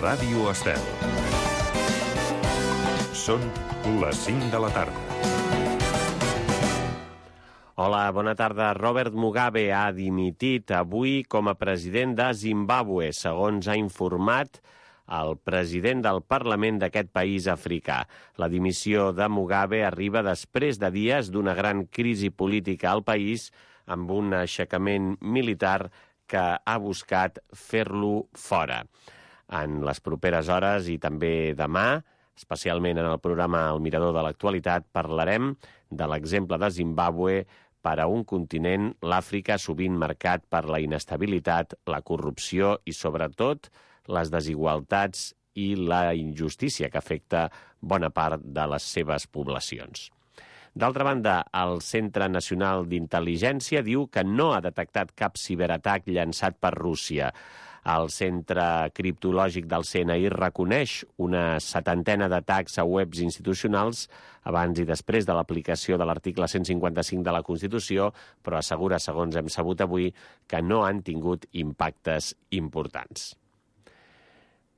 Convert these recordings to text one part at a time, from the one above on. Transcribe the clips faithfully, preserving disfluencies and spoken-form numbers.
Ràdio Estel. Són les cinc de la tarda. Hola, bona tarda. Robert Mugabe ha dimitit avui com a president de Zimbàbue, segons ha informat el president del Parlament d'aquest país africà. La dimissió de Mugabe arriba després de dies d'una gran crisi política al país, amb un aixecament militar que ha buscat fer-lo fora. En les properes hores i també demà, especialment en el programa El Mirador de l'Actualitat, parlarem de l'exemple de Zimbàbue per a un continent, l'Àfrica, sovint marcat per la inestabilitat, la corrupció i, sobretot, les desigualtats i la injustícia que afecta bona part de les seves poblacions. D'altra banda, el Centre Nacional d'Intel·ligència diu que no ha detectat cap ciberatac llançat per Rússia. El Centre Criptològic del C N I reconeix una setantena d'atacs a webs institucionals abans i després de l'aplicació de l'article cent cinquanta-cinc de la Constitució, però assegura, segons hem sabut avui, que no han tingut impactes importants.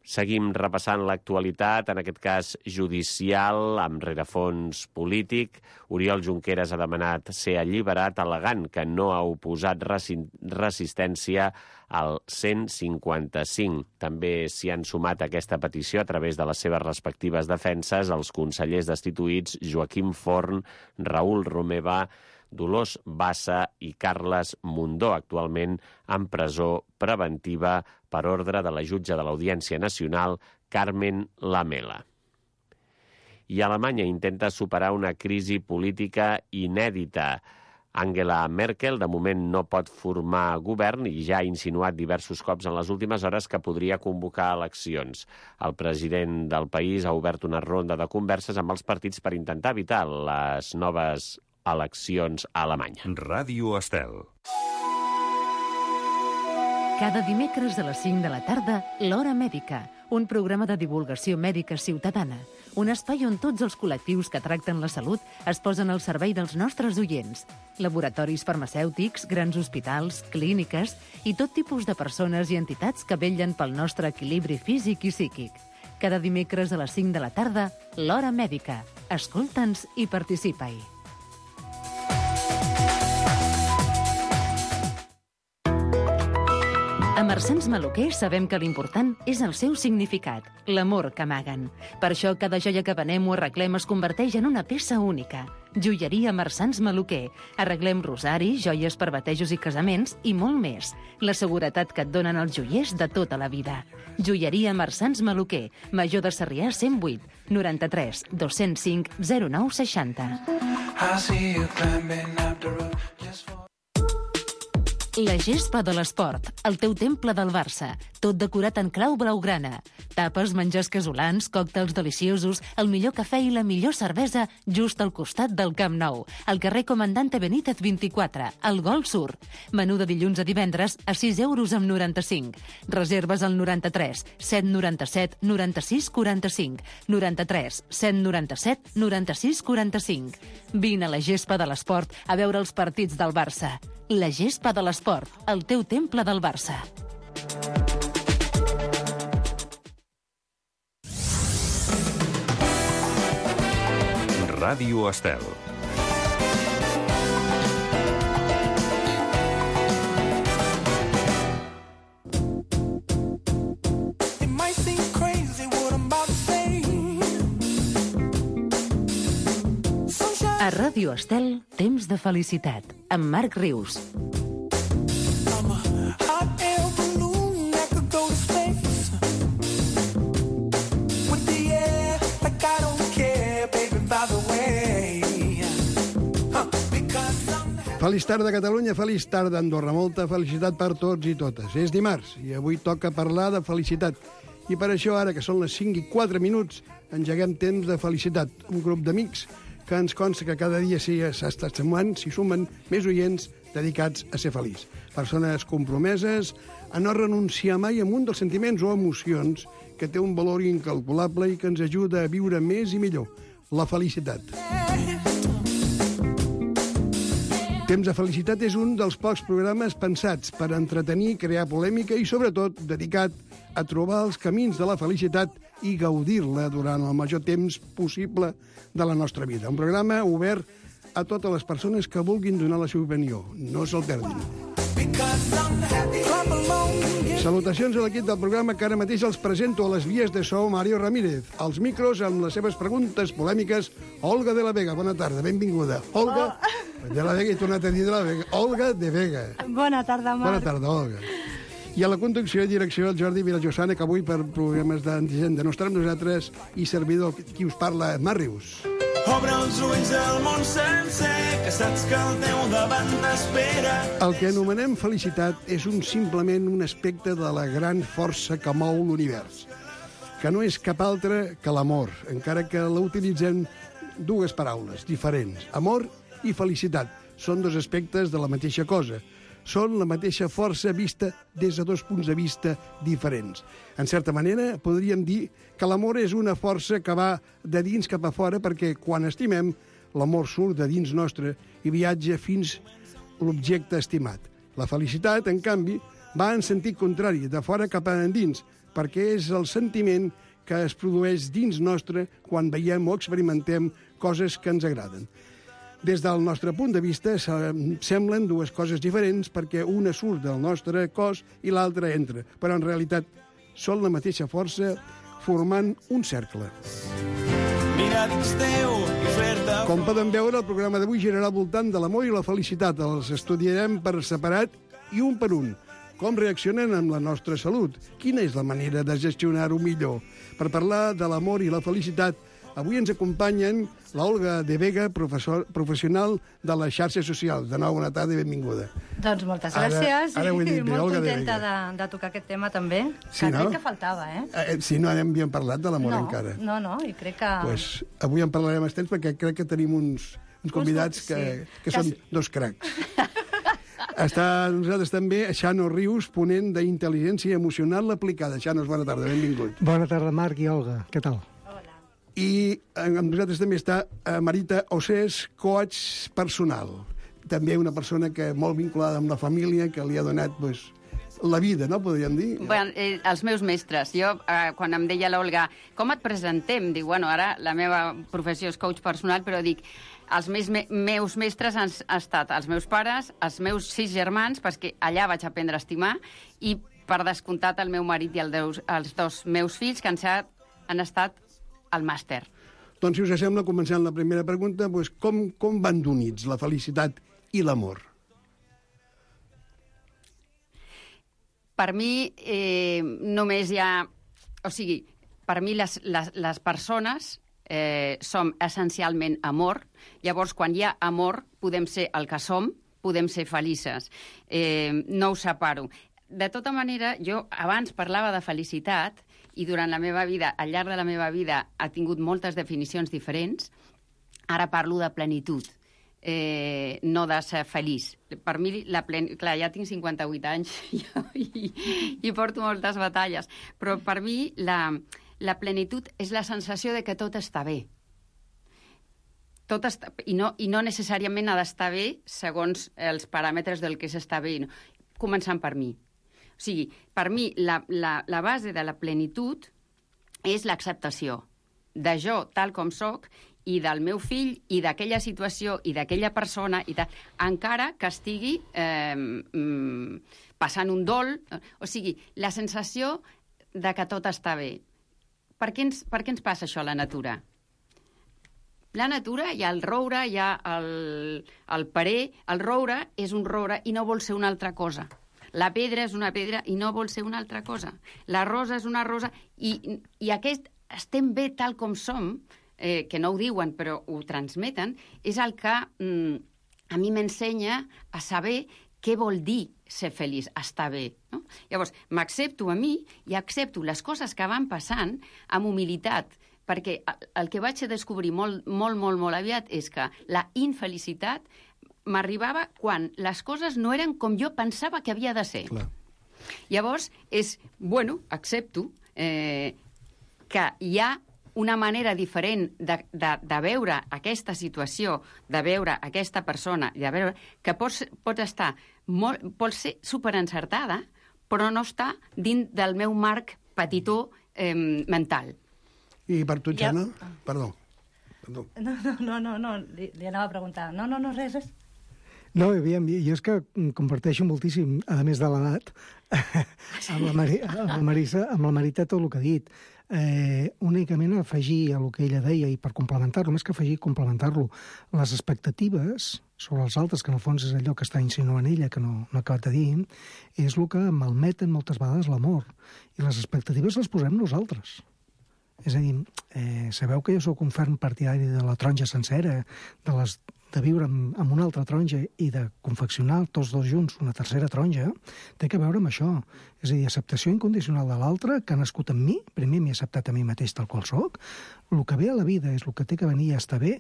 Seguim repassant l'actualitat, en aquest cas judicial, amb rerefons polític. Oriol Junqueras ha demanat ser alliberat, al·legant que no ha oposat resistència al cent cinquanta-cinc. També s'hi han sumat a aquesta petició a través de les seves respectives defenses els consellers destituïts Joaquim Forn, Raül Romeva, Dolors Bassa i Carles Mundó, actualment en presó preventiva per ordre de la jutge de l'Audiència Nacional, Carmen Lamela. I Alemanya intenta superar una crisi política inèdita. Angela Merkel, de moment, no pot formar govern i ja ha insinuat diversos cops en les últimes hores que podria convocar eleccions. El president del país ha obert una ronda de converses amb els partits per intentar evitar les noves eleccions a Alemanya. Ràdio Estel. Cada dimecres a les cinc de la tarda, l'Hora Mèdica, un programa de divulgació mèdica ciutadana, un espai on tots els col·lectius que tracten la salut es posen al servei dels nostres oients. Laboratoris farmacèutics, grans hospitals, clíniques i tot tipus de persones i entitats que vetllen pel nostre equilibri físic i psíquic. Cada dimecres a les cinc de la tarda, l'Hora Mèdica. Escolta'ns i participa-hi. A Marsans Maluquer sabem que l'important és el seu significat, l'amor que amaguen. Per això cada joia que venem o arreglem es converteix en una peça única. Joieria Marsans Maluquer. Arreglem rosaris, joies per batejos i casaments i molt més. La seguretat que et donen els joiers de tota la vida. Joieria Marsans Maluquer. Major de Sarrià cent vuit, noranta-tres, dos-cents cinc, zero nou seixanta. La gespa de l'esport, el teu temple del Barça, tot decorat en clau blaugrana. Tapes, menjars casolans, còctels deliciosos, el millor cafè i la millor cervesa just al costat del Camp Nou, al carrer Comandante Benítez vint-i-quatre, al Gol Sur. Menú de dilluns a divendres a sis euros amb noranta-cinc. Reserves al noranta-tres, set noranta-set, noranta-sis quaranta-cinc, noranta-tres, set noranta-set, noranta-sis quaranta-cinc. Vine a la gespa de l'esport a veure els partits del Barça. La gespa de l'esport, el teu temple del Barça. Ràdio Estel. A Ràdio Estel, temps de felicitat, amb Marc Rius. Feliç tarda, Catalunya, feliç tarda, Andorra. Molta felicitat per tots i totes. És dimarts i avui toca parlar de felicitat. I per això, ara que són les cinc i quatre minuts, engeguem temps de felicitat. Un grup d'amics que ens consta que cada dia s'està sumant, s'hi sumen més oients dedicats a ser feliç. Persones compromeses a no renunciar mai a un dels sentiments o emocions que té un valor incalculable i que ens ajuda a viure més i millor, la felicitat. Temps de felicitat és un dels pocs programes pensats per entretenir, crear polèmica i, sobretot, dedicat a trobar els camins de la felicitat i gaudir-la durant el major temps possible de la nostra vida. Un programa obert a totes les persones que vulguin donar la seva opinió. No se'l perdin. Salutacions a l'equip del programa que ara mateix els presento a les vies de so Mario Ramírez. Als micros, amb les seves preguntes polèmiques, Olga de la Vega. Bona tarda, benvinguda. Olga oh. de la Vega, he tornat a dir de la Vega. Olga de Vega. Bona tarda, Marc. Bona tarda, Olga. I a la conducció i direcció el Jordi Vilajosana, que avui per problemes d'antigenda no estarà amb nosaltres, i servidor qui us parla, Màrius. Obre els ulls al món sencer, que saps que el teu davant t'espera. El que anomenem felicitat és un simplement un aspecte de la gran força que mou l'univers, que no és cap altre que l'amor, encara que la utilitzem dues paraules diferents. Amor i felicitat són dos aspectes de la mateixa cosa. Són la mateixa força vista des de dos punts de vista diferents. En certa manera, podríem dir que l'amor és una força que va de dins cap a fora, perquè quan estimem, l'amor surt de dins nostre i viatja fins l'objecte estimat. La felicitat, en canvi, va en sentit contrari, de fora cap a endins, perquè és el sentiment que es produeix dins nostre quan veiem o experimentem coses que ens agraden. Des del nostre punt de vista, semblen dues coses diferents perquè una surt del nostre cos i l'altra entra, però en realitat són la mateixa força formant un cercle. Mira dins teu i fer-te... Com poden veure, el programa d'avui girarà al voltant de l'amor i la felicitat. Els estudiarem per separat i un per un. Com reaccionen amb la nostra salut? Quina és la manera de gestionar-ho millor? Per parlar de l'amor i la felicitat, avui ens acompanyen la Olga de Vega, professor, professional de les xarxes socials. De nou, bona tarda i benvinguda. Doncs moltes Ara- gràcies. ara ho he dit i bé, molt Olga de contenta Vega. de, de tocar aquest tema també, Sí, que no? crec que faltava, eh? Eh, si no hem parlat de l'amor no, encara. no, no, i crec que... Pues, avui en parlarem a temps perquè crec que tenim uns, uns convidats que, sí. que Que són sí. dos cracs. Està amb nosaltres també Xano Rius, ponent d'intel·ligència emocional aplicada. Xanos, bona tarda, benvingut. Bona tarda, Marc i Olga. Què tal? I amb nosaltres també està eh, Marita Osés, coach personal. També una persona que molt vinculada amb la família, que li ha donat pues, la vida, no?, podríem dir. Bueno, eh, els meus mestres. Jo, eh, quan em deia l'Olga, com et presentem? Dic, bueno, ara la meva professió és coach personal, però dic, els meus, me meus mestres han, han estat els meus pares, els meus sis germans, perquè allà vaig aprendre a estimar, i per descomptat el meu marit i el deus, els dos meus fills, que han, set, han estat al màster. Doncs, si us sembla, començant la primera pregunta, pues, com, com van d'units la felicitat i l'amor? Per mi, eh, només hi ha... O sigui, per mi les, les, les persones eh, som essencialment amor. Llavors, quan hi ha amor, podem ser el que som, podem ser felices. Eh, no ho separo. De tota manera, jo abans parlava de felicitat i durant la meva vida, al llarg de la meva vida, ha tingut moltes definicions diferents. Ara parlo de plenitud, eh, no de ser feliç. Per mi, la plen... clar, ja tinc cinquanta-vuit anys i, i porto moltes batalles, però per mi la, la plenitud és la sensació de que tot està bé. Tot està... I, no, I no necessàriament ha d'estar bé segons els paràmetres del que s'està bé, no? Començant per mi. O sigui, per mi, la, la, la base de la plenitud és l'acceptació de jo tal com sóc i del meu fill i d'aquella situació i d'aquella persona, i tal, encara que estigui eh, mm, passant un dol. O sigui, la sensació de que tot està bé. Per què ens, per què ens passa això a la natura? La natura, hi ha el roure, hi ha el, el parer. El roure és un roure i no vol ser una altra cosa. La pedra és una pedra i no vol ser una altra cosa. La rosa és una rosa i, i aquest estem bé tal com som, eh, que no ho diuen però ho transmeten, és el que mm, a mi m'ensenya a saber què vol dir ser feliç, estar bé. No? Llavors, m'accepto a mi i accepto les coses que van passant amb humilitat, perquè el que vaig a descobrir molt, molt, molt, molt aviat és que la infelicitat m'arribava quan les coses no eren com jo pensava que havia de ser. Clar. Llavors, és, bueno, accepto eh, que hi ha una manera diferent de, de, de veure aquesta situació, de veure aquesta persona, de veure que pots, pots estar, molt, pots ser superencertada, però no està dins del meu marc petitó eh, mental. I per tu, Xana? Ja. Perdó. Perdó. No, no, no, no, no. Li, li anava a preguntar. No, no, no, res, res. No, aviam, jo és que comparteixo moltíssim, a més de l'edat, amb, la Mari, amb la Marisa, amb la Marita tot el que ha dit. Eh, únicament afegir a el que ella deia, i per complementar-lo, més que afegir, complementar-lo, les expectatives sobre els altres, que en el fons és allò que està insinuant ella, que no, no ha acabat de dir, és el que malmeten moltes vegades l'amor. I les expectatives les posem nosaltres. És a dir, eh, sabeu que jo sóc un ferm partidari de la taronja sencera, de, les, de viure amb, amb una altra taronja i de confeccionar tots dos junts una tercera taronja, té que veure amb això. És a dir, acceptació incondicional de l'altre, que ha nascut en mi, primer m'he acceptat a mi mateix tal qual soc, el que ve a la vida és el que té que venir i ja està bé.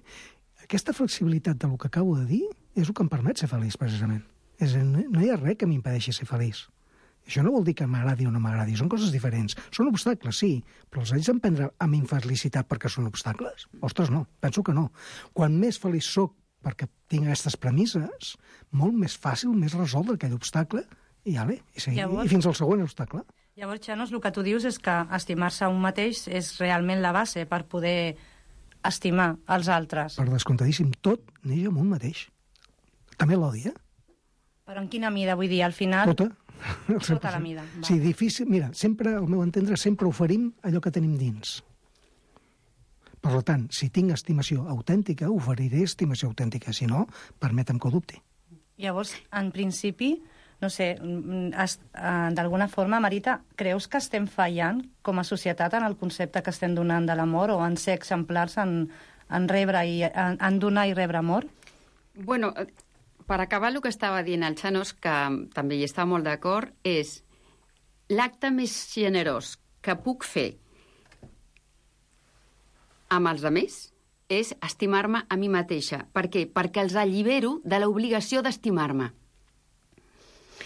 Aquesta flexibilitat del que acabo de dir és el que em permet ser feliç, precisament. És a dir, no hi ha res que m'impedeixi ser feliç. Això no vol dir que m'agradi o no m'agradi, són coses diferents. Són obstacles, sí, però els haig d'emprendre amb infelicitat perquè són obstacles? Ostres, no, penso que no. Quan més feliç sóc perquè tinc aquestes premisses, molt més fàcil, més resoldre aquell obstacle, i ja bé, i, seguir, Llavors... i fins al següent obstacle. Llavors, Xanos, el que tu dius és que estimar-se a un mateix és realment la base per poder estimar els altres. Per descomptadíssim, tot neix amb un mateix. També l'odi, eh? Però en quina mida, vull dir, al final... Tota. Tota la mida. Va. Sí, difícil. Mira, sempre, al meu entendre, sempre oferim allò que tenim dins. Per tant, si tinc estimació autèntica, oferiré estimació autèntica. Si no, permetem que ho dubti. Llavors, en principi, no sé, d'alguna forma, Marita, creus que estem fallant com a societat en el concepte que estem donant de l'amor o en ser exemplars en, en rebre i en, en donar i rebre amor? Bueno, per acabar el que estava dient el Xanos, que també hi està molt d'acord, és l'acte més generós que puc fer amb els altres és estimar-me a mi mateixa. Per què? Perquè els allibero de l'obligació d'estimar-me.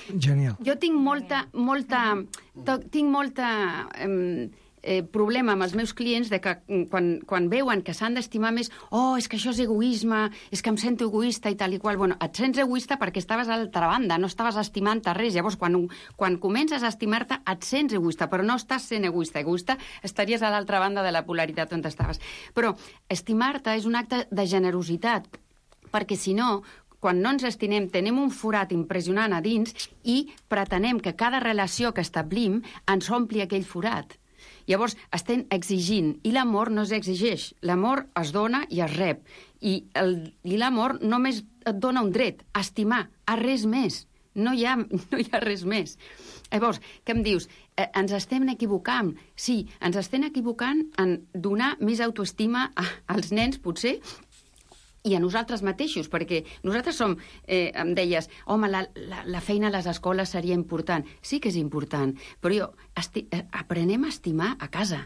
Genial. Jo tinc molta, molta, tinc molta eh, eh, problema amb els meus clients de que quan, quan veuen que s'han d'estimar més, oh, és que això és egoisme, és que em sento egoista i tal i qual. Bueno, et sents egoista perquè estaves a l'altra banda, no estaves estimant-te res. Llavors, quan, quan comences a estimar-te, et sents egoista, però no estàs sent egoista. Egoista estaries a l'altra banda de la polaritat on estaves. Però estimar-te és un acte de generositat, perquè si no, quan no ens estimem, tenim un forat impressionant a dins i pretenem que cada relació que establim ens ompli aquell forat. Llavors, estem exigint, i l'amor no s'exigeix. L'amor es dona i es rep. I, el, i l'amor només et dona un dret, a estimar, a res més. No hi ha, no hi ha res més. Llavors, què em dius? Eh, ens estem equivocant? Sí, ens estem equivocant en donar més autoestima a, als nens, potser, i a nosaltres mateixos, perquè nosaltres som, eh, em deies, home, la, la, la feina a les escoles seria important. Sí que és important, però jo esti aprenem a estimar a casa.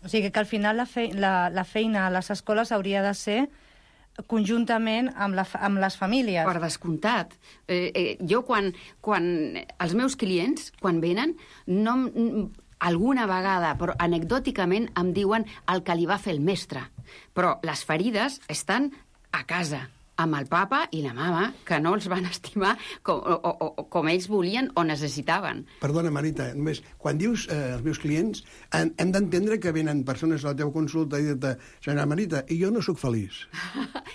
O sigui que al final la, fe la, la feina a les escoles hauria de ser conjuntament amb, la, amb les famílies. Per descomptat. Eh, eh, jo, quan, quan els meus clients, quan venen, no, alguna vegada, però anecdòticament, em diuen el que li va fer el mestre. Però les ferides estan a casa, amb el papa i la mama, que no els van estimar com, o, o, com ells volien o necessitaven. Perdona, Marita, només, quan dius eh, els meus clients, hem, hem d'entendre que venen persones a la teva consulta i dir-te, senyora Marita, i jo no sóc feliç.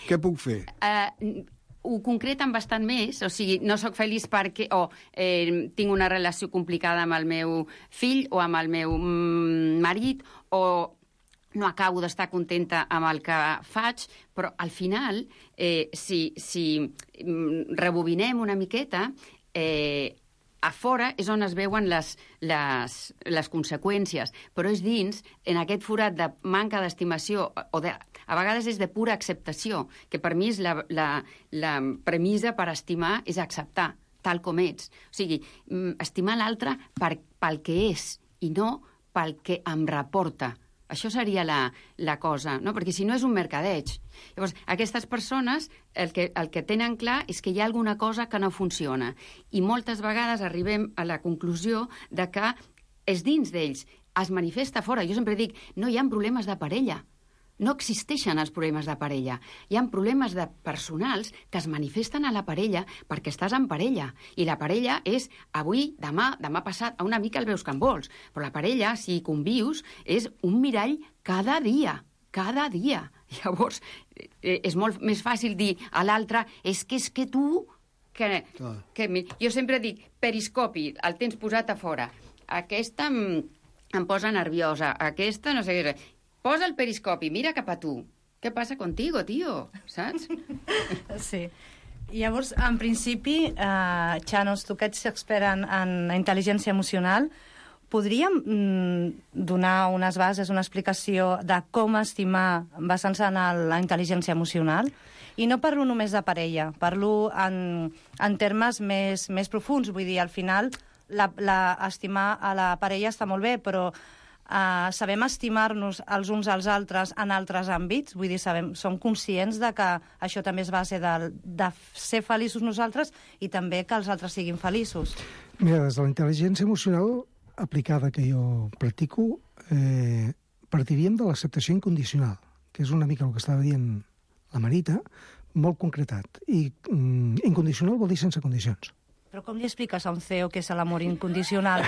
Què puc fer? Uh, ho concreten bastant més, o sigui, no sóc feliç perquè o eh, tinc una relació complicada amb el meu fill o amb el meu mm, marit, o no acabo d'estar contenta amb el que faig, però al final, eh, si, si rebobinem una miqueta, eh, a fora és on es veuen les, les, les conseqüències, però és dins, en aquest forat de manca d'estimació, o de, a vegades és de pura acceptació, que per mi és la, la, la premissa per estimar és acceptar, tal com ets. O sigui, estimar l'altre per, pel que és i no pel que em reporta. Això seria la, la cosa, no? Perquè si no és un mercadeig. Llavors, aquestes persones el que, el que tenen clar és que hi ha alguna cosa que no funciona. I moltes vegades arribem a la conclusió de que és dins d'ells. es manifesta fora. Jo sempre dic, no hi ha problemes de parella. No existeixen els problemes de parella. Hi ha problemes de personals que es manifesten a la parella perquè estàs en parella. I la parella és avui, demà, demà passat, a una mica el veus que en vols. Però la parella, si convius, és un mirall cada dia. Cada dia. Llavors, eh, és molt més fàcil dir a l'altre, és que és que tu... Que, que, jo sempre dic, periscopi, el tens posat a fora. Aquesta em, em posa nerviosa, aquesta no sé què... Posa el periscopi, mira cap a tu. Què passa contigo, tio? Saps? Sí. Llavors, en principi, eh, Chanos, tu que ets expert en, en intel·ligència emocional, podríem mm, donar unes bases, una explicació de com estimar basant-se en el, la intel·ligència emocional? I no parlo només de parella, parlo en, en termes més, més profuns. Vull dir, al final, la, la, estimar a la parella està molt bé, però Uh, sabem estimar-nos els uns als altres en altres àmbits, vull dir, sabem, som conscients de que això també és base de, de ser feliços nosaltres i també que els altres siguin feliços. Mira, des de la intel·ligència emocional aplicada que jo practico, eh, partiríem de l'acceptació incondicional, que és una mica el que estava dient la Marita, molt concretat. I mm, incondicional vol dir sense condicions. Però com li expliques a un C E O què és l'amor incondicional?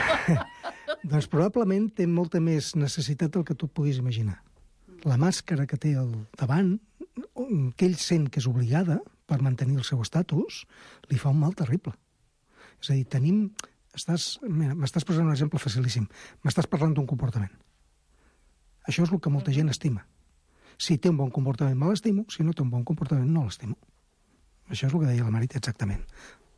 Doncs probablement té molta més necessitat del que tu et puguis imaginar. La màscara que té al davant, que ell sent que és obligada per mantenir el seu estatus, li fa un mal terrible. És a dir, tenim... Estàs... Mira, m'estàs posant un exemple facilíssim. M'estàs parlant d'un comportament. Això és el que molta gent estima. Si té un bon comportament, me l'estimo. Si no té un bon comportament, no l'estimo. Això és el que deia la Marita exactament.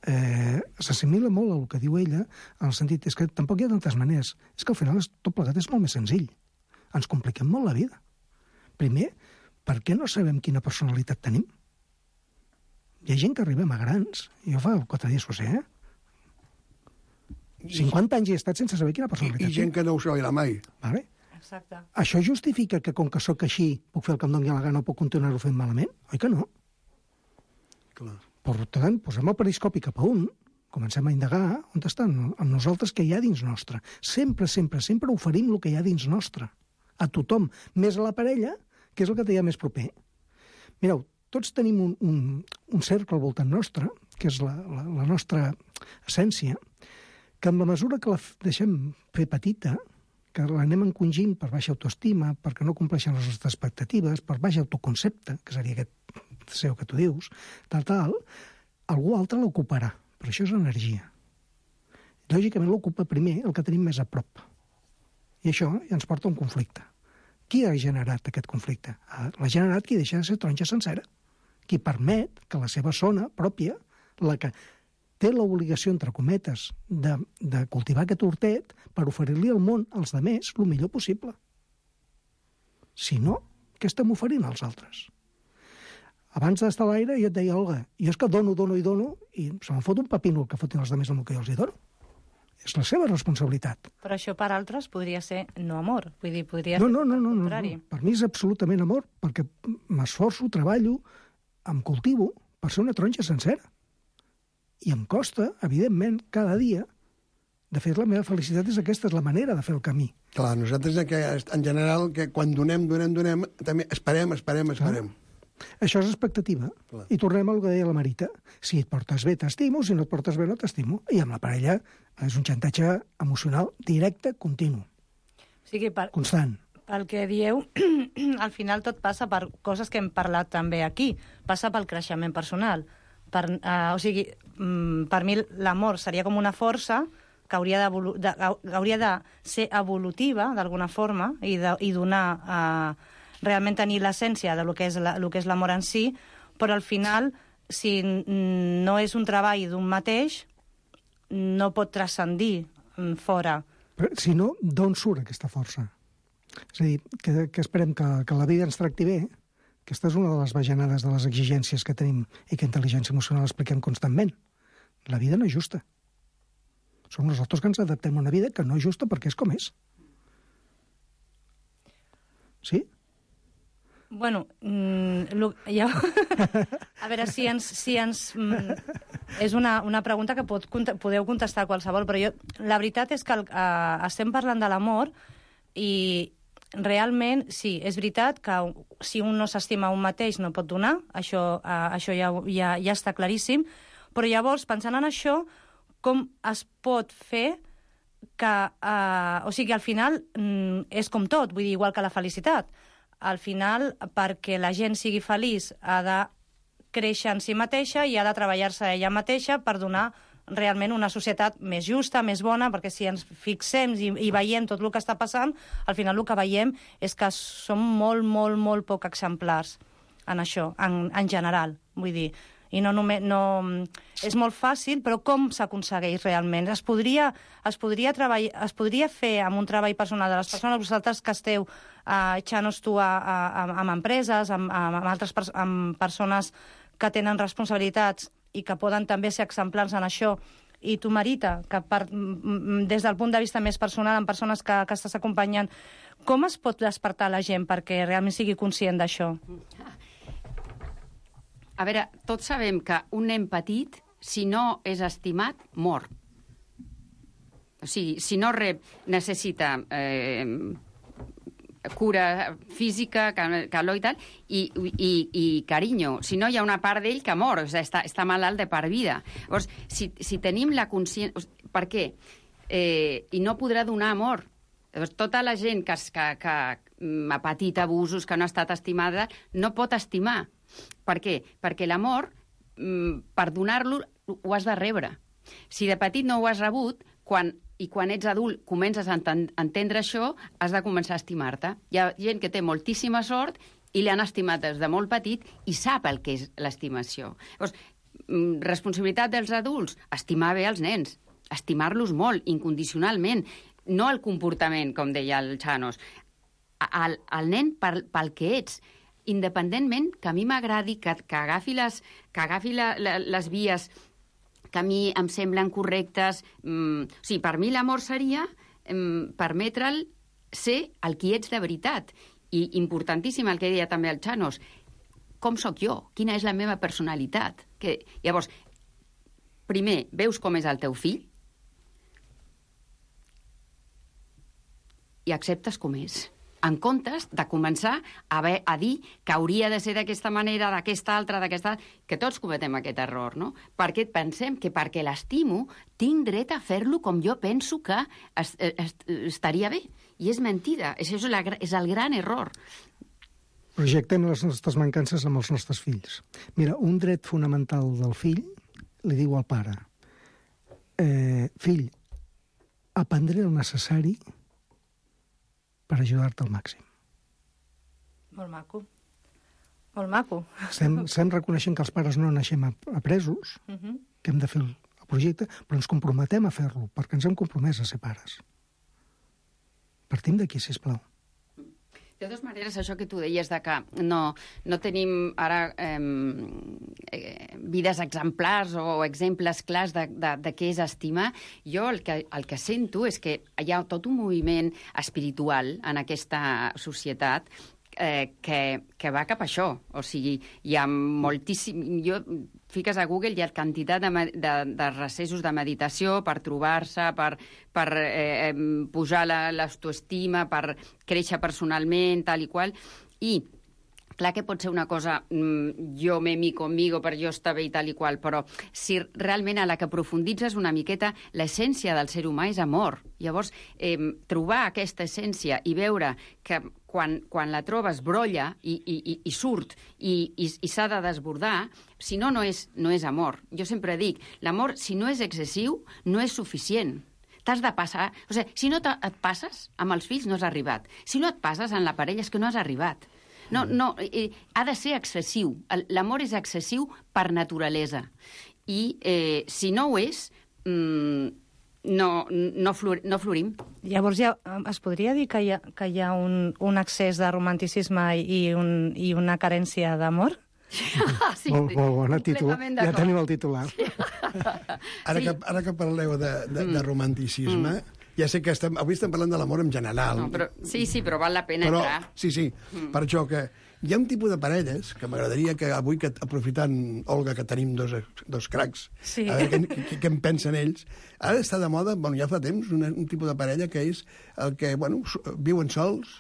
Eh, s'assimila molt al que diu ella, en el sentit és que tampoc hi ha tantes maneres. És que al final tot plegat és molt més senzill. Ens compliquem molt la vida. Primer, per què no sabem quina personalitat tenim? Hi ha gent que arribem a grans, jo fa quatre dies ho sé, eh? cinquanta anys he estat sense saber quina personalitat I, i gent que no ho sabrà mai. Vale? Exacte. Això justifica que com que sóc així puc fer el que em doni la gana o puc continuar-ho fent malament? Oi que no? Clar. Per tant, posem el periscopi cap a un, comencem a indagar on estan amb nosaltres que hi ha dins nostre. Sempre, sempre, sempre oferim el que hi ha dins nostre. A tothom, més a la parella, que és el que té més proper. Mireu, tots tenim un, un, un cercle al voltant nostre, que és la, la, la nostra essència, que amb la mesura que la deixem fer petita, que l'anem encongint per baixa autoestima, perquè no compleixen les nostres expectatives, per baix autoconcepte, que seria aquest C E O que tu dius, tal, tal, algú altre l'ocuparà. Però això és energia. Lògicament l'ocupa primer el que tenim més a prop. I això ja ens porta a un conflicte. Qui ha generat aquest conflicte? L'ha generat qui deixa de ser taronja sencera. Qui permet que la seva zona pròpia, la que té l'obligació, entre cometes, de, de cultivar aquest hortet per oferir-li al món, als demés, el millor possible. Si no, què estem oferint als altres? Abans d'estar a l'aire jo et deia, Olga, jo és que dono, dono i dono i se me'n fot un pepino el que fotin els demés amb el que jo els hi dono. És la seva responsabilitat. Però això per altres podria ser no amor. Vull dir, podria no, ser no, no, el no, no, contrari. no. Per mi és absolutament amor, perquè m'esforço, treballo, em cultivo per ser una taronja sencera. I em costa, evidentment, cada dia, de fer la meva felicitat és aquesta, és la manera de fer el camí. Clar, nosaltres que, en general, que quan donem, donem, donem, també esperem, esperem, esperem. Clar. Això és expectativa. Clar. I tornem al que deia la Marita. Si et portes bé, t'estimo, si no et portes bé, no t'estimo. I amb la parella és un xantatge emocional directe, continu. O sigui, per, constant. Pel que dieu, al final tot passa per coses que hem parlat també aquí. Passa pel creixement personal. Per, uh, o sigui, mm, per mi l'amor seria com una força que hauria de, de, hauria de ser evolutiva, d'alguna forma, i, de, i donar... Uh, realment tenir l'essència de lo que és la, lo que és l'amor en si, però al final, si no és un treball d'un mateix, no pot transcendir fora. Però, si no, d'on surt aquesta força? És a dir, que, que esperem que, que la vida ens tracti bé. Aquesta és una de les bajanades de les exigències que tenim i que intel·ligència emocional expliquem constantment. La vida no és justa. Som nosaltres que ens adaptem a una vida que no és justa perquè és com és. Sí? Bueno, mm, lo, ja... a veure, si ens... Si ens mm, és una, una pregunta que pot, podeu contestar qualsevol, però jo, la veritat és que el, uh, estem parlant de l'amor, I realment, sí, és veritat que si un no s'estima un mateix no pot donar, això, uh, això ja, ja, ja està claríssim, però llavors, pensant en això, com es pot fer que... Uh, o sigui, al final mm, és com tot, vull dir, igual que la felicitat. Al final, perquè la gent sigui feliç, ha de créixer en si mateixa i ha de treballar-se ella mateixa per donar realment una societat més justa, més bona, perquè si ens fixem i, i veiem tot el que està passant, al final el que veiem és que som molt, molt, molt poc exemplars en això, en, en general, vull dir. I no només... No, és molt fàcil, però com s'aconsegueix realment? Es podria, es, podria treball, es podria fer amb un treball personal de les persones, vosaltres que esteu uh, echant-nos tu a, a, a, amb empreses, amb, amb, altres pers amb persones que tenen responsabilitats i que poden també ser exemplars en això, i tu, Marita, que per, des del punt de vista més personal, amb persones que, que estàs acompanyant, com es pot despertar la gent perquè realment sigui conscient d'això? A veure, tots sabem que un nen petit, si no és estimat, mor. O sigui, si no rep, necessita... Eh, cura física, calor i tal, i, i, i carinyo. Si no, hi ha una part d'ell que mor, o sigui, està, està malalt de per vida. Llavors, si, si tenim la consciència... Per què? Eh, I no podrà donar amor. Llavors, tota la gent que, que, que ha patit abusos, que no ha estat estimada, no pot estimar. Per què? Perquè l'amor, per donar-lo, ho has de rebre. Si de petit no ho has rebut, quan... i quan ets adult comences a entendre això, has de començar a estimar-te. Hi ha gent que té moltíssima sort i l'han estimat des de molt petit i sap el que és l'estimació. Llavors, responsabilitat dels adults, estimar bé els nens, estimar-los molt, incondicionalment, no el comportament, com deia el Chanos, el, el nen pel, pel que ets, independentment que a mi m'agradi que, que agafi, les, que agafi la, la, les vies que a mi em semblen correctes. Mm, o sigui, per mi l'amor seria mm, permetre'l ser el qui ets de veritat. I importantíssim el que deia també el Chanos, com sóc jo? Quina és la meva personalitat? Que, llavors, primer, veus com és el teu fill i acceptes com és. En comptes de començar a, haver, a dir que hauria de ser d'aquesta manera, d'aquesta altra, d'aquesta... que tots cometem aquest error, no? Perquè pensem que perquè l'estimo tinc dret a fer-lo com jo penso que es, es, estaria bé. I és mentida. Això és, la, és el gran error. Projectem les nostres mancances amb els nostres fills. Mira, un dret fonamental del fill li diu al pare: eh, fill, aprendré el necessari per ajudar-te al màxim. Molt maco. Molt maco. Estem, estem reconeixent que els pares no naixem apresos, uh -huh. que hem de fer el projecte, però ens comprometem a fer-lo, perquè ens hem compromès a ser pares. Partim d'aquí, sisplau. De totes maneres, això que tu deies de que no, no tenim ara eh, eh, vides exemplars o exemples clars de, de, de què és estimar, jo el que, el que sento és que hi ha tot un moviment espiritual en aquesta societat eh, que, que va cap a això. O sigui, hi ha moltíssim... Jo, fiques a Google, hi ha quantitat de, de, de recessos de meditació per trobar-se, per, per eh, pujar l'autoestima, per créixer personalment, tal i qual. I clar que pot ser una cosa, mmm, jo me mi conmigo per jo estar bé i tal i qual, però si realment a la que profunditzes una miqueta, l'essència del ser humà és amor. Llavors, eh, trobar aquesta essència i veure que quan, quan la trobes brolla i, i, i surt i, i, i s'ha de desbordar, si no, no és, no és amor. Jo sempre dic, l'amor, si no és excessiu, no és suficient. T'has de passar... O sigui, si no et passes amb els fills, no has arribat. Si no et passes en la parella, és que no has arribat. No, no, eh, ha de ser excessiu. L'amor és excessiu per naturalesa. I eh, si no ho és, mm, no, no, flor, no florim. Llavors, ja, es podria dir que hi ha, que hi ha un, un excés de romanticisme i, un, i una carència d'amor? Sí, molt, molt bona títol. Ja tenim el titular. Ara, sí. que, ara que parleu de, de, de romanticisme, mm. Ja sé que estem, avui estem parlant de l'amor en general. No, però, sí, sí, però val la pena però, entrar. Sí, sí, mm. per això que hi ha un tipus de parelles que m'agradaria que avui, que, aprofitant, Olga, que tenim dos, dos cracs, sí. a veure què, què, què en pensen ells. Ara està de moda, bueno, ja fa temps, una, un tipus de parella que és el que, bueno, viuen sols,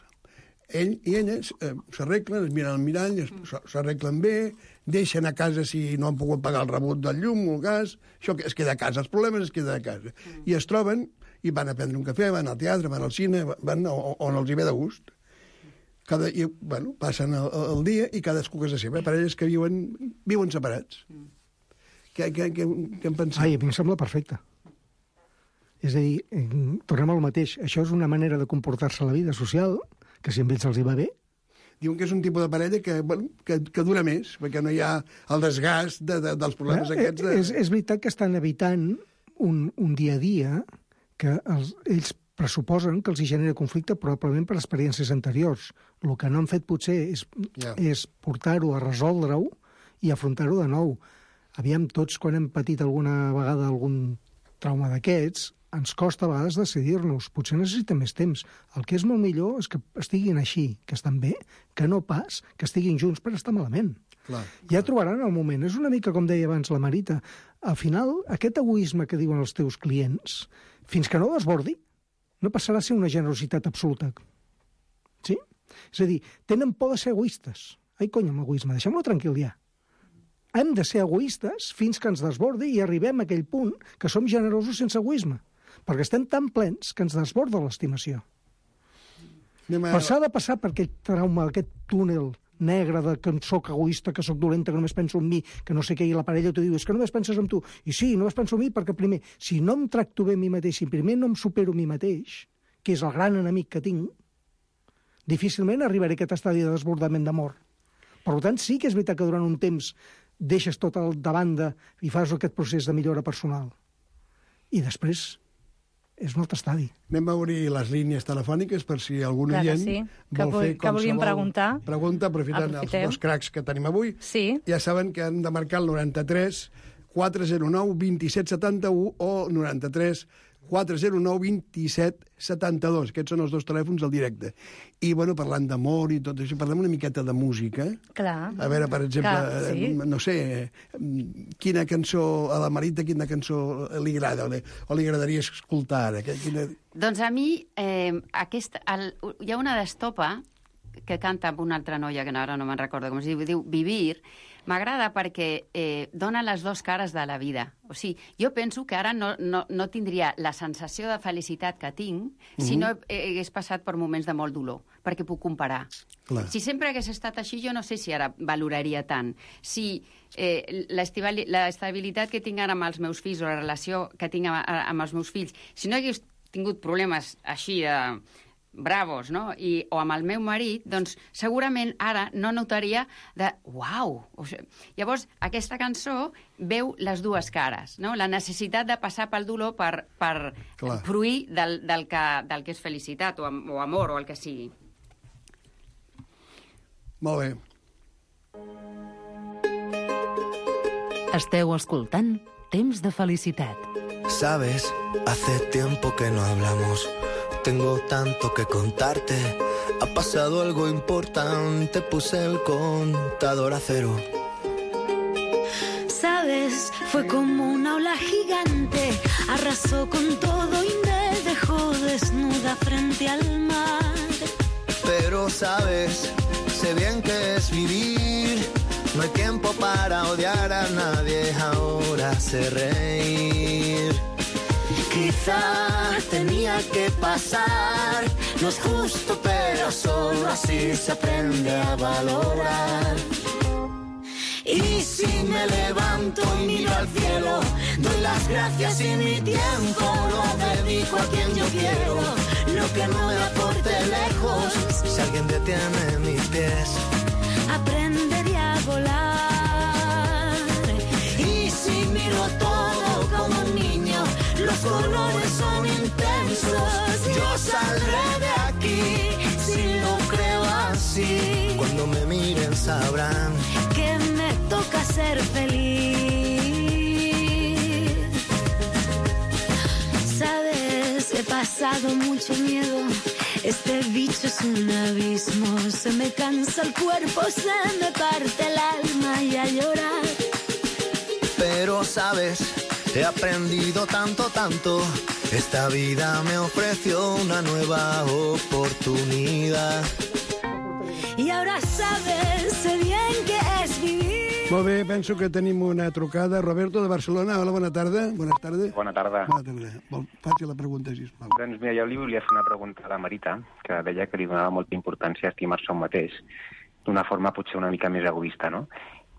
ell i ella eh, s'arreglen, es miren al mirall, s'arreglen bé, deixen a casa si no han pogut pagar el rebut del llum o el gas, això es queda a casa, els problemes es queden a casa. Mm. I es troben i van a prendre un cafè, van al teatre, van al cine, van on els hi ve de gust. Cada, i, bueno, passen el, el dia i cadascú casa seva. Parelles que viuen, viuen separats. Mm. Què, què, què, què en penseu? Ai, a mi em sembla perfecte. És a dir, tornem al mateix. Això és una manera de comportar-se a la vida social, que si amb ells els hi va bé. Diuen que és un tipus de parella que, bueno, que, que dura més, perquè no hi ha el desgast de, de, dels problemes eh, aquests. De... És, és veritat que estan evitant un, un dia a dia que els, ells pressuposen que els hi genera conflicte probablement per experiències anteriors. El que no han fet potser és, yeah. és portar-ho a resoldre-ho i afrontar-ho de nou. Aviam, tots quan hem patit alguna vegada algun trauma d'aquests, ens costa a vegades decidir-nos. Potser necessitem més temps. El que és molt millor és que estiguin així, que estan bé, que no pas que estiguin junts per estar malament. Clar, ja clar. trobaran el moment. És una mica com deia abans la Marita. Al final, aquest egoisme que diuen els teus clients, fins que no desbordi, no passarà a ser una generositat absoluta. Sí? És a dir, tenen por de ser egoistes. Ai, cony, amb l'egoisme, deixem-lo tranquil ja. Hem de ser egoistes fins que ens desbordi i arribem a aquell punt que som generosos sense egoisme. Perquè estem tan plens que ens desborda l'estimació. A... Però s'ha de passar per aquest trauma, aquest túnel negre de que soc egoista, que soc dolenta, que només penso en mi, que no sé què, i la parella t'ho diu, és que només penses en tu. I sí, només penso en mi perquè primer, si no em tracto bé a mi mateix, si primer no em supero a mi mateix, que és el gran enemic que tinc, difícilment arribaré a aquest estadi de desbordament d'amor. Per tant, sí que és veritat que durant un temps deixes tot el de banda i fas aquest procés de millora personal. I després és un altre estadi. Anem a obrir les línies telefòniques per si algun Clar oient sí. vol fer que volíem preguntar. Pregunta, aprofitant Aprofitem. els dos cracs que tenim avui. Sí. Ja saben que han de marcar el noranta-tres quatre zero nou vint set setanta-u o noranta-tres quatre zero nou vint set setanta-dos. Aquests són els dos telèfons del directe. I, bueno, parlant d'amor i tot això, parlem una miqueta de música. Clar. A veure, per exemple, Clar, sí. no sé, quina cançó a la Marita, quina cançó li agrada o li, o li agradaria escoltar ara? Quina... Doncs a mi, eh, aquest, el, hi ha una d'Estopa que canta amb una altra noia, que ara no me'n recordo com es diu, diu Vivir. M'agrada perquè eh, dona les dues cares de la vida. O sigui, jo penso que ara no, no, no tindria la sensació de felicitat que tinc mm-hmm. si no hagués passat per moments de molt dolor, perquè puc comparar. Clar. Si sempre hagués estat així, jo no sé si ara valoraria tant. Si eh, l'estabilitat que tinc ara amb els meus fills o la relació que tinc amb, amb els meus fills, si no hagués tingut problemes així de... Eh, bravos, no? I, o amb el meu marit, doncs segurament ara no notaria de uau! O sigui, llavors, aquesta cançó veu les dues cares, no? La necessitat de passar pel dolor per, per fruir del, del, que, del que és felicitat o, o amor o el que sigui. Molt bé. Esteu escoltant Temps de Felicitat. Sabes, hace tiempo que no hablamos. Tengo tanto que contarte. Ha pasado algo importante. Puse el contador a cero. Sabes, fue como una ola gigante. Arrasó con todo y me dejó desnuda frente al mar. Pero sabes, sé bien que es vivir. No hay tiempo para odiar a nadie. Ahora sé reír. Quizá tenía que pasar, no es justo, pero solo así se aprende a valorar. Y si me levanto y miro al cielo, doy las gracias y mi tiempo lo dedico a quien yo quiero. Lo que no me aporte lejos, si alguien detiene mis pies, aprenderé a volar. Y si miro todo como un niño, los colores son intensos. Yo saldré de aquí si lo creo así. Cuando me miren sabrán que me toca ser feliz. Sabes, he pasado dado mucho miedo. Este bicho es un abismo. Se me cansa el cuerpo, se me parte el alma y a llorar. Pero sabes, he aprendido tanto, tanto. Esta vida me ofreció una nueva oportunidad. Y ahora sabes, sé bien que es vivir. Molt bé, penso que tenim una trucada. Roberto, de Barcelona. Hola, bona tarda. Bona tarda. Bona tarda. Bona tarda. Vol, faci la pregunta, sisplau. Doncs mira, jo li volia fer una pregunta a la Marita, que deia que li donava molta importància a estimar-se un mateix, d'una forma potser una mica més egoista, no?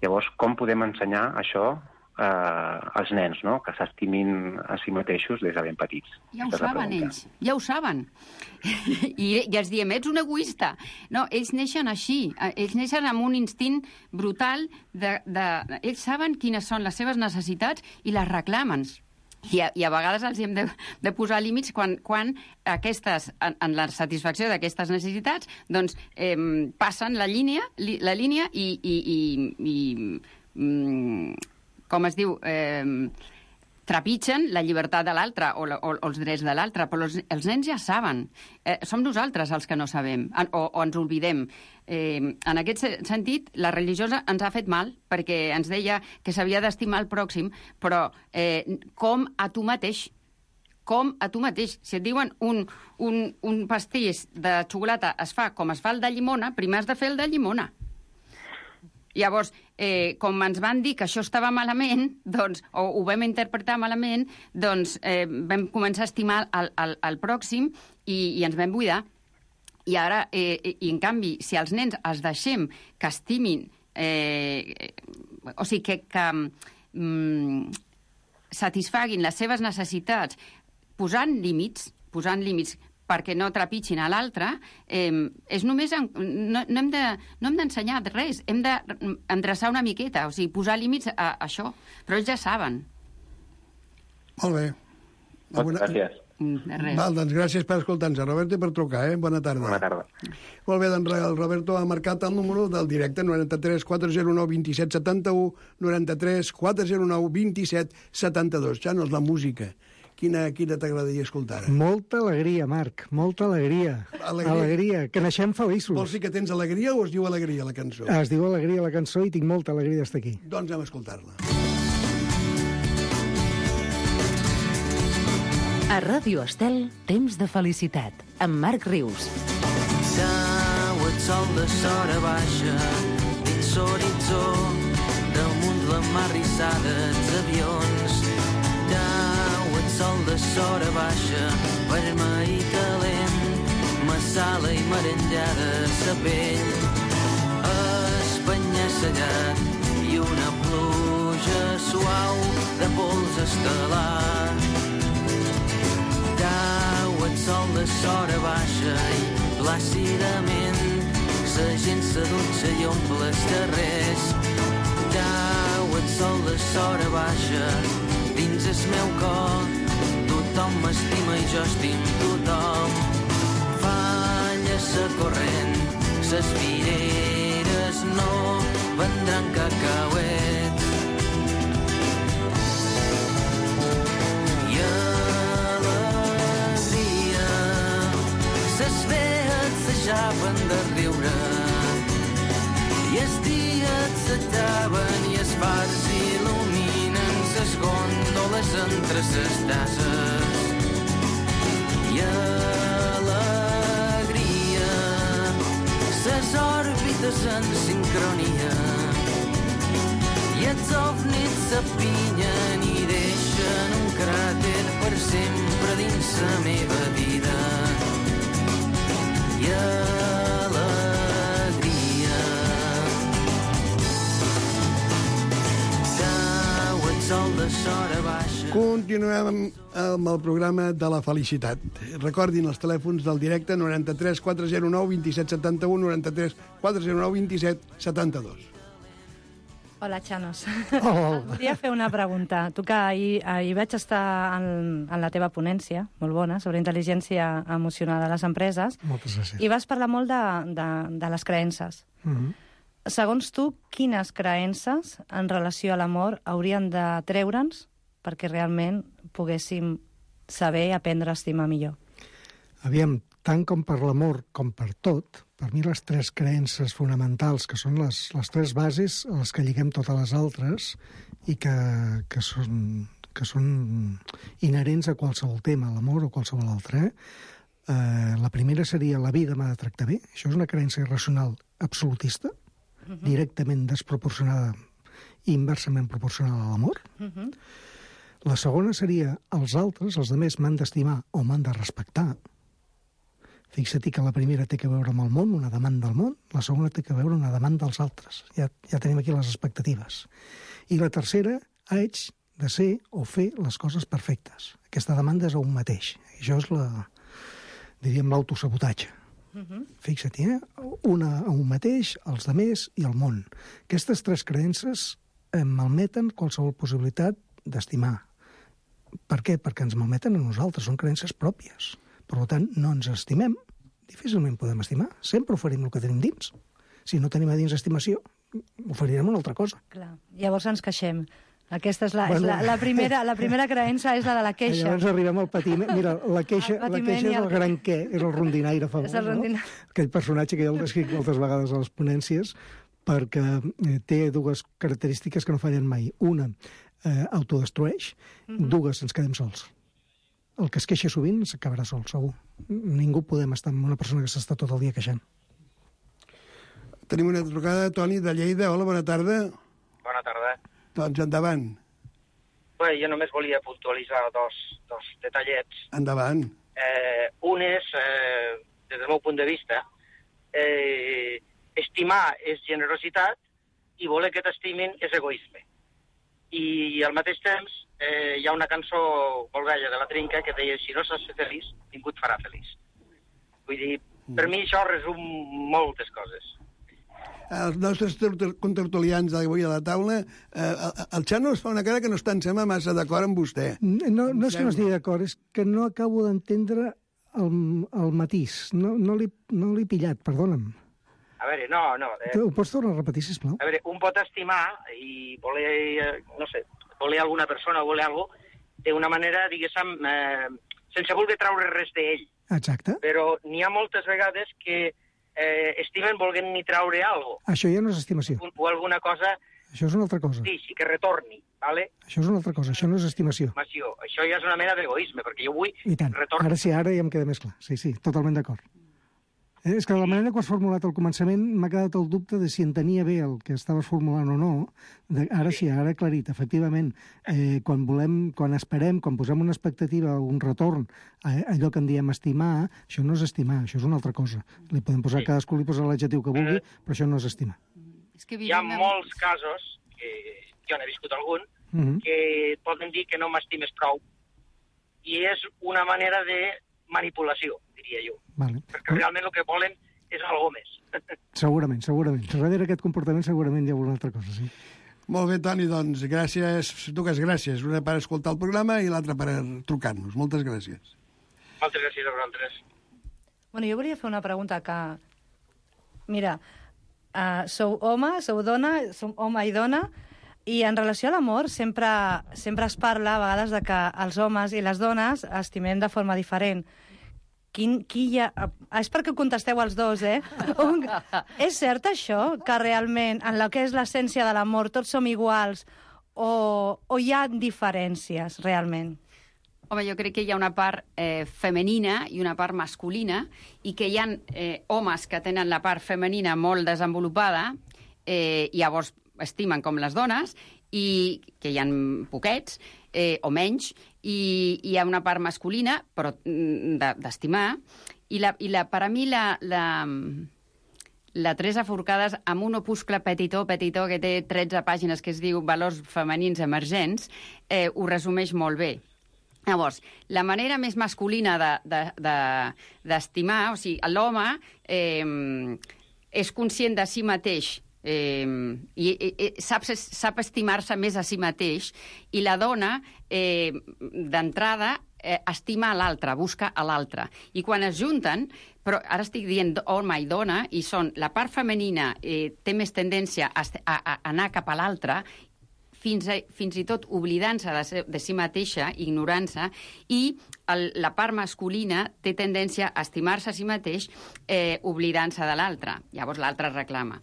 Llavors, com podem ensenyar això eh, als nens, no?, que s'estimin a si mateixos des de ben petits? Ja ho saben, ells. Ja ho saben. I, I els diem, ets un egoista. No, ells neixen així. Ells neixen amb un instint brutal de... de... Ells saben quines són les seves necessitats i les reclamen. I a, i a vegades els hem de, de posar límits quan, quan aquestes, en, en la satisfacció d'aquestes necessitats, doncs eh, passen la línia, li, la línia i, i, i, i mm, com es diu, eh, trepitgen la llibertat de l'altre o, o, o els drets de l'altre, però els, els nens ja saben. Eh, som nosaltres els que no sabem o, o ens oblidem. Eh, en aquest sentit, la religiosa ens ha fet mal, perquè ens deia que s'havia d'estimar el pròxim, però eh, com a tu mateix, com a tu mateix. Si et diuen un, un, un pastís de xocolata es fa com es fa el de llimona, primer has de fer el de llimona. Llavors, eh, com ens van dir que això estava malament, doncs, o ho vam interpretar malament, doncs eh, vam començar a estimar el, el, el pròxim i, i ens vam buidar. I ara, eh, i en canvi, si als nens els deixem que estimin, eh, o sigui, que, que mm, satisfaguin les seves necessitats posant límits, posant límits perquè no trepitgin a l'altre, eh, és només... En, no, no hem de, no hem d'ensenyar res, hem d'endreçar una miqueta, o sigui, posar límits a, a això, però ells ja saben. Molt bé. Moltes gràcies. De res. Val, doncs gràcies per escoltar-nos, Roberto, i per trucar, eh? Bona tarda. Bona tarda. Molt bé, doncs el Roberto ha marcat el número del directe, noranta-tres quatre zero nou vint set setanta-u, noranta-tres quatre zero nou vint set setanta-dos. Ja no és la música. Quina, quina t'agradaria escoltar? Molta alegria, Marc, molta alegria. Alegria. Alegria, que naixem feliços. Vols dir que tens alegria o es diu alegria la cançó? Es diu alegria la cançó i tinc molta alegria d'estar aquí. Doncs anem a escoltar-la. A Ràdio Estel, temps de felicitat, amb Marc Rius. Cau el sol de sora baixa dins l'horitzó, damunt la mar rissada els avions. Cau el sol de sora baixa, vermell i calent, massala i merengada sa pell. Espanya-sellat i una pluja suau de pols estel·lar. Cau el sol de sora baixa i plàcidament sa gent s'adutxa i omple els carrers. Cau el sol de sora baixa dins el meu cor. Tothom m'estima i jo estim tothom. Falla sa corrent, ses vireres no vendran cacauets. I ses vees s'aixaven de riure i els dies s'acaben i els fars il·luminen ses gòndoles entre ses tasses. I alegria, ses òrbites en sincronia i els ovnis s'apinyen i deixen un cràter per sempre dins la meva vida. I alegria. Cau el sol de sora baixa. Continuem amb el programa de la felicitat. Recordin els telèfons del directe noranta-tres quatre zero nou vint set setanta-u, noranta-tres quatre zero nou vint set setanta-dos. Hola, Xanos. Oh. Volia fer una pregunta. Tu que ahir, ahir vaig estar en, en la teva ponència, molt bona, sobre intel·ligència emocional a les empreses. Moltes gràcies. I vas parlar molt de, de, de les creences. Mm-hmm. Segons tu, quines creences en relació a l'amor haurien de treure'ns perquè realment poguéssim saber i aprendre a estimar millor? Aviam, tant com per l'amor com per tot, per mi les tres creences fonamentals, que són les, les tres bases a les que lliguem totes les altres i que, que, són, que són inherents a qualsevol tema, l'amor o qualsevol altre, eh? Uh, la primera seria la vida m'ha de tractar bé. Això és una creença irracional absolutista, uh-huh. directament desproporcionada i inversament proporcional a l'amor. Uh-huh. La segona seria els altres, els altres m'han d'estimar o m'han de respectar. Fixa't que la primera té que veure amb el món, una demanda del món, la segona té que veure una demanda dels altres. Ja, ja tenim aquí les expectatives. I la tercera, haig de ser o fer les coses perfectes. Aquesta demanda és a un mateix. Això és la... diríem l'autosabotatge. Uh-huh. Fixa-t'hi, eh? Una a un mateix, els demés i el món. Aquestes tres creences em malmeten qualsevol possibilitat d'estimar. Per què? Perquè ens malmeten a nosaltres, són creences pròpies. Per tant, no ens estimem, difícilment podem estimar. Sempre oferim el que tenim dins. Si no tenim a dins estimació, oferirem una altra cosa. Clar. Llavors ens queixem. Aquesta és la, bueno, és la, la, primera, la primera creença és la de la queixa. Llavors arribem al patiment. Mira, la queixa, la queixa és el gran què, és el rondinaire famós, és el rondinaire. No? Aquell personatge que jo el descric moltes vegades a les ponències, perquè té dues característiques que no fallen mai. Una, eh, autodestrueix, uh-huh. dues, ens quedem sols. El que es queixa sovint s'acabarà sol, segur. Ningú podem estar amb una persona que s'està tot el dia queixant. Tenim una trucada, Toni, de Lleida. Hola, bona tarda. Bona tarda. Doncs endavant. Bé, jo només volia puntualitzar dos, dos detallets. Endavant. Eh, un és, eh, des del meu punt de vista, eh, estimar és generositat i voler que t'estimin és egoisme. I al mateix temps eh, hi ha una cançó molt vella de la Trinca que deia si no saps ser feliç, ningú et farà feliç. Vull dir, per mi això resum moltes coses. Els nostres contertulians d'avui a la taula, eh, el Xano es fa una cara que no està, em sembla, massa d'acord amb vostè. No, no és que no estigui d'acord, és que no acabo d'entendre el, el matís. No, no l'he no l'he pillat, perdona'm. A veure, no, no. Eh, Ho pots tornar a repetir, sisplau? A veure, un pot estimar i voler, eh, no sé, voler alguna persona o voler alguna cosa d'una manera, diguéssim, eh, sense voler treure res d'ell. Exacte. Però n'hi ha moltes vegades que eh, estimen volent ni traure alguna cosa. Això ja no és estimació. O, o alguna cosa... Això és una altra cosa. Sí, sí que retorni, ¿vale? Això és una altra cosa, això no és estimació. Estimació. Això ja és una mena d'egoisme, perquè jo vull I tant. retorni. Ara sí, ara ja em queda més clar. Sí, sí, totalment d'acord. Eh, és que de la manera que ho has formulat al començament m'ha quedat el dubte de si entenia bé el que estaves formulant o no. De, ara sí, ara he aclarit. Efectivament, eh, quan volem, quan esperem, quan posem una expectativa o un retorn a allò que en diem estimar, això no és estimar, això és una altra cosa. Li podem posar, sí. Cadascú li posa l'adjectiu que vulgui, mm. però això no és estimar. És que hi ha molts casos, que jo n'he viscut algun, mm-hmm. que poden dir que no m'estimes prou. I és una manera de manipulació, diria jo. Vale. Perquè realment el que volen és algo més. Segurament, segurament. Darrere aquest comportament segurament hi ha alguna altra cosa, sí. Molt bé, Toni, doncs gràcies, dues gràcies. Una per escoltar el programa i l'altra per trucar-nos. Moltes gràcies. Moltes gràcies a vosaltres. Bueno, jo volia fer una pregunta que... Mira, uh, sou home, sou dona, som home i dona, i en relació a l'amor sempre, sempre es parla a vegades de que els homes i les dones estimem de forma diferent. Quin, qui hi ha... És perquè contesteu els dos, eh? Un... És cert això, que realment en el que és l'essència de l'amor tots som iguals o, o hi ha diferències realment? Home, jo crec que hi ha una part eh, femenina i una part masculina i que hi ha eh, homes que tenen la part femenina molt desenvolupada eh, i llavors estimen com les dones, i que hi ha poquets, eh, o menys, i hi ha una part masculina, però d'estimar, i, la, i la, per a mi la, la, la Teresa Forcades, amb un opuscle petitó, petitó, que té tretze pàgines, que es diu Valors femenins emergents, eh, ho resumeix molt bé. Llavors, la manera més masculina d'estimar, de, de, de, o sigui, l'home eh, és conscient de si mateix, Eh, i, i sap, sap estimar-se més a si mateix, i la dona eh, d'entrada eh, estima a l'altre, busca a l'altre, i quan es junten, però ara estic dient home i dona, i són la part femenina eh, té més tendència a, a, a anar cap a l'altre, fins, a, fins i tot oblidant-se de, se, de si mateixa, ignorant-se, i el, la part masculina té tendència a estimar-se a si mateix eh, oblidant-se de l'altre. Llavors l'altre reclama.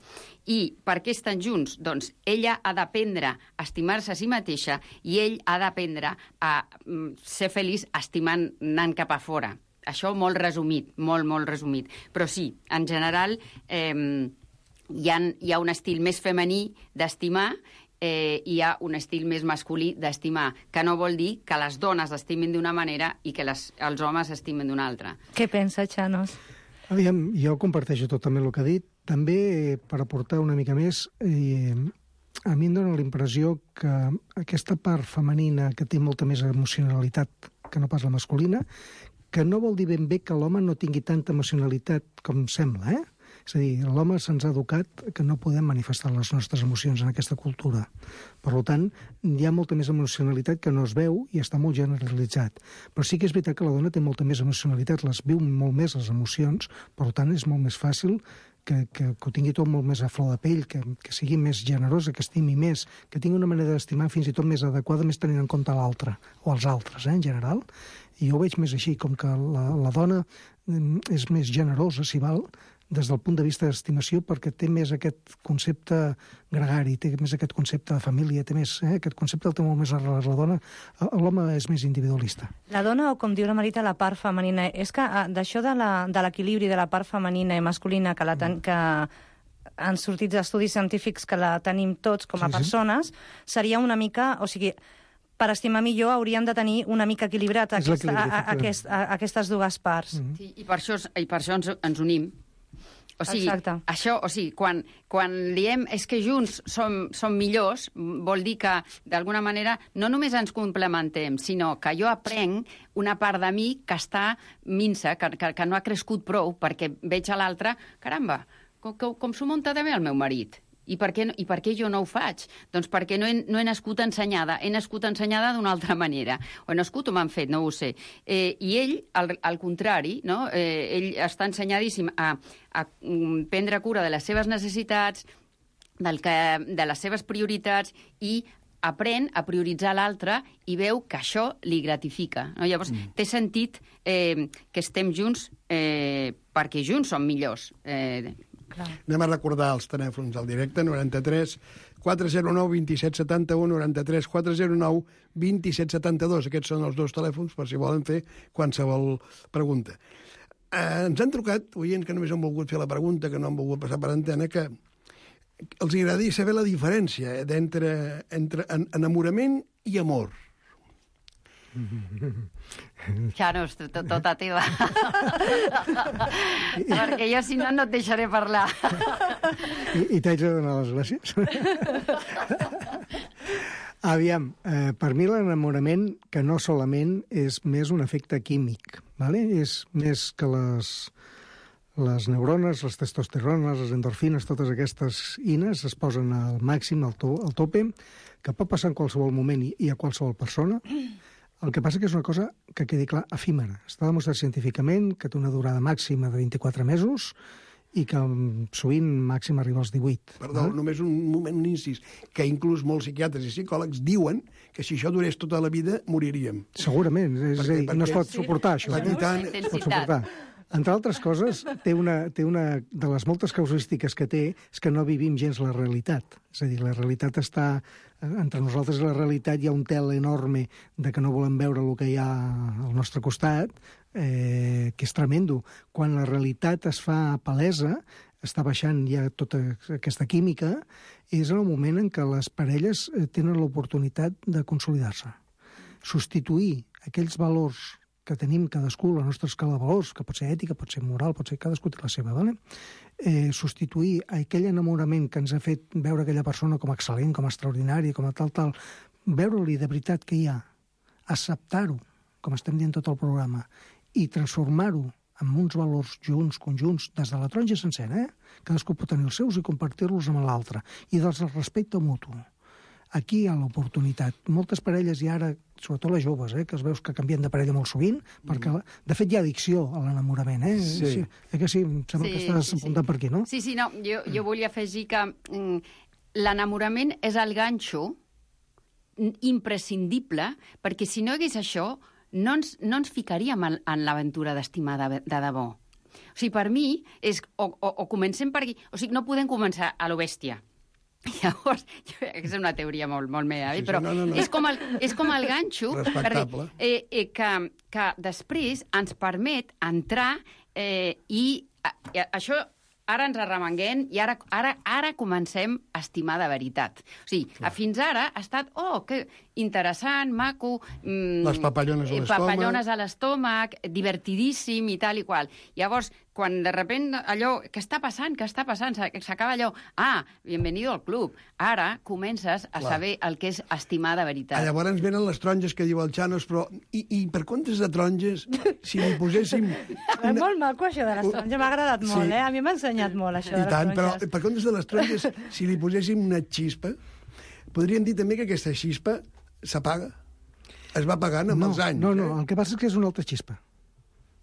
I per què estan junts? Doncs ella ha d'aprendre a estimar-se a si mateixa i ell ha d'aprendre a mm, ser feliç estimant, anant cap a fora. Això molt resumit, molt, molt resumit. Però sí, en general eh, hi, ha, hi ha un estil més femení d'estimar eh, i hi ha un estil més masculí d'estimar, que no vol dir que les dones estimin d'una manera i que les, els homes estimin d'una altra. Què pensa, Chanos? Aviam, jo comparteixo totalment el que ha dit. També, per aportar una mica més, eh, a mi em dóna la impressió que aquesta part femenina que té molta més emocionalitat que no pas la masculina, que no vol dir ben bé que l'home no tingui tanta emocionalitat com sembla, eh? És a dir, l'home se'ns ha educat que no podem manifestar les nostres emocions en aquesta cultura. Per tant, hi ha molta més emocionalitat que no es veu i està molt generalitzat. Però sí que és veritat que la dona té molta més emocionalitat, les viu molt més les emocions, per tant és molt més fàcil que, que, que ho tingui tot molt més a flor de pell, que, que sigui més generosa, que estimi més, que tingui una manera d'estimar fins i tot més adequada, més tenint en compte l'altre, o els altres, eh, en general. I jo ho veig més així, com que la, la dona és més generosa, si val, des del punt de vista d'estimació, perquè té més aquest concepte gregari, té més aquest concepte de família, té més, eh, aquest concepte el té molt més arrelat la dona. L'home és més individualista. La dona, o com diu la Marita, la part femenina, és que d'això de l'equilibri de, de la part femenina i masculina, que, la ten, que han sortit estudis científics que la tenim tots com a sí, persones, sí. Seria una mica, o sigui, per estimar millor hauríem de tenir una mica equilibrat aquesta, a, a, aquest, a, aquestes dues parts. Mm-hmm. Sí, i per això, i per això ens, ens unim. O sigui, Exacte. Això, o sigui, quan, quan diem és que junts som, som millors, vol dir que, d'alguna manera, no només ens complementem, sinó que jo aprenc una part de mi que està minsa, que, que, que no ha crescut prou, perquè veig a l'altre, caramba, com, com, com s'ho munta també el meu marit? I per, què, I per què jo no ho faig? Doncs perquè no he, no he nascut ensenyada. He nascut ensenyada d'una altra manera. O he nascut o m'han fet, no ho sé. Eh, I ell, al, al contrari, no? eh, ell està ensenyadíssim a, a prendre cura de les seves necessitats, del que, de les seves prioritats, i aprèn a prioritzar l'altre i veu que això li gratifica. No? Llavors, mm. té sentit eh, que estem junts eh, perquè junts som millors. Eh, Clar. Anem a recordar els telèfons al directe, noranta-tres quatre zero nou vint set setanta-u, noranta-tres quatre zero nou vint set setanta-dos. Aquests són els dos telèfons per si volen fer qualsevol pregunta. Eh, ens han trucat, oients que només han volgut fer la pregunta, que no han volgut passar per antena, que els agradaria saber la diferència d'entre entre enamorament i amor. Chanos, tot, tota teva. Perquè jo, si no, no et deixaré parlar. I, i t'haig de donar les gràcies. Aviam, eh, per mi l'enamorament, que no solament és més un efecte químic, ¿vale? És més que les, les neurones, les testosterones, les endorfines, totes aquestes ines es posen al màxim, al, to, al tope, que pot passar en qualsevol moment i, i a qualsevol persona. El que passa que és una cosa que quedi clar, efímera. Està demostrat científicament que té una durada màxima de vint-i-quatre mesos i que sovint màxim arriba als divuit. Perdó, eh? només un moment, un incís, que inclús molts psiquiatres i psicòlegs diuen que si això durés tota la vida moriríem. Segurament, és perquè, a dir, no es pot suportar, sí. això. I tant, es pot suportar. Entre altres coses, té una, té una de les moltes casuístiques que té és que no vivim gens la realitat. És a dir, la realitat està... Entre nosaltres i la realitat hi ha un tel enorme de que no volem veure el que hi ha al nostre costat, eh, que és tremendo. Quan la realitat es fa palesa, està baixant ja tota aquesta química, és en el moment en què les parelles tenen l'oportunitat de consolidar-se. Substituir aquells valors que tenim cadascú, la nostra escala de valors, que pot ser ètica, pot ser moral, pot ser cadascú té la seva, ¿vale? eh, substituir aquell enamorament que ens ha fet veure aquella persona com a excel·lent, com a extraordinari, com a tal, tal, veure-li de veritat que hi ha, acceptar-ho, com estem dient tot el programa, i transformar-ho en uns valors junts, conjunts, des de la taronja sencera, eh? Cadascú pot tenir els seus i compartir-los amb l'altre, i des del respecte mutu. Aquí hi ha l'oportunitat. Moltes parelles, i ara, sobretot les joves, eh, que es veus que canvien de parella molt sovint, perquè, de fet, hi ha addicció a l'enamorament, eh? Sí. Sí. Eh que sí? Em sembla sí, que estàs sí, apuntant sí. per aquí, no? Sí, sí, no, jo, jo volia afegir que mm, l'enamorament és el ganxo imprescindible, perquè si no hi hagués això, no ens, no ens ficaríem en, en l'aventura d'estimar de, de debò. O sigui, per mi, és, o, o, o comencem per aquí... O sigui, no podem començar a lo bèstia. Llavors, és una teoria molt, molt meva, sí, però sí, no, no, no. És, com el, és com el ganxo perquè, eh, eh, que, que després ens permet entrar eh, i eh, això ara ens arremanguem i ara, ara, ara comencem a estimar de veritat. O sigui, Clar. fins ara ha estat, oh, que interessant, maco... Mm, les papallones a l'estómac. Papallones a l'estómac, divertidíssim i tal i qual. Llavors, quan de repent allò, què està passant, què està passant? S'acaba allò, ah, bienvenido al club. Ara comences a Clar. saber el que és estimar de veritat. Ah, llavors venen les taronges que diu el Chanos, però i, i per comptes de taronges, si li poséssim... Una... És molt maco això de les taronges, m'ha agradat sí. molt, eh? A mi m'ha ensenyat molt això I de les tant, taronges. Però per comptes de les taronges, si li poséssim una xispa, podríem dir també que aquesta xispa s'apaga. Es va apagant amb no, els anys. No, no, eh? el que passa és que és una altra xispa.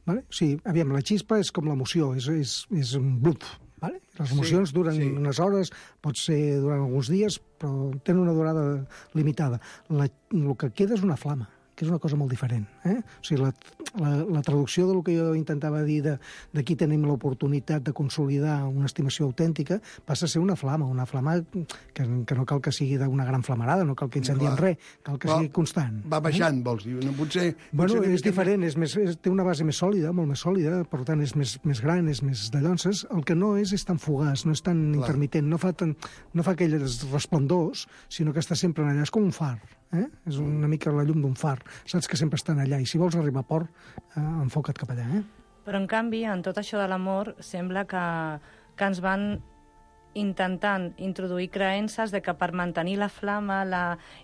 Vale? O sigui, aviam, la xispa és com l'emoció, és, és, és un blup. Vale? Les emocions sí, duren sí. unes hores, pot ser durant alguns dies, però tenen una durada limitada. La, el que queda és una flama, que és una cosa molt diferent. Eh? O sigui, la, la, la traducció del que jo intentava dir de, d'aquí tenim l'oportunitat de consolidar una estimació autèntica passa a ser una flama, una flama que, que no cal que sigui d'una gran flamarada, no cal que incendiem res, cal que Però sigui constant. Va baixant, eh? vols dir? No, potser, bueno, potser és diferent, és més, és, té una base més sòlida, molt més sòlida, per tant és més, més gran, és més de llonces. El que no és és tan fugaç, no és tan Clar. intermitent, no fa, tan, no fa aquells resplendors, sinó que està sempre allà, és com un far. Eh? És una mica la llum d'un far. Saps que sempre estan allà i si vols arribar a port, eh, enfoca't cap allà. Eh? Però en canvi, en tot això de l'amor, sembla que, que ens van intentant introduir creences de que per mantenir la flama la...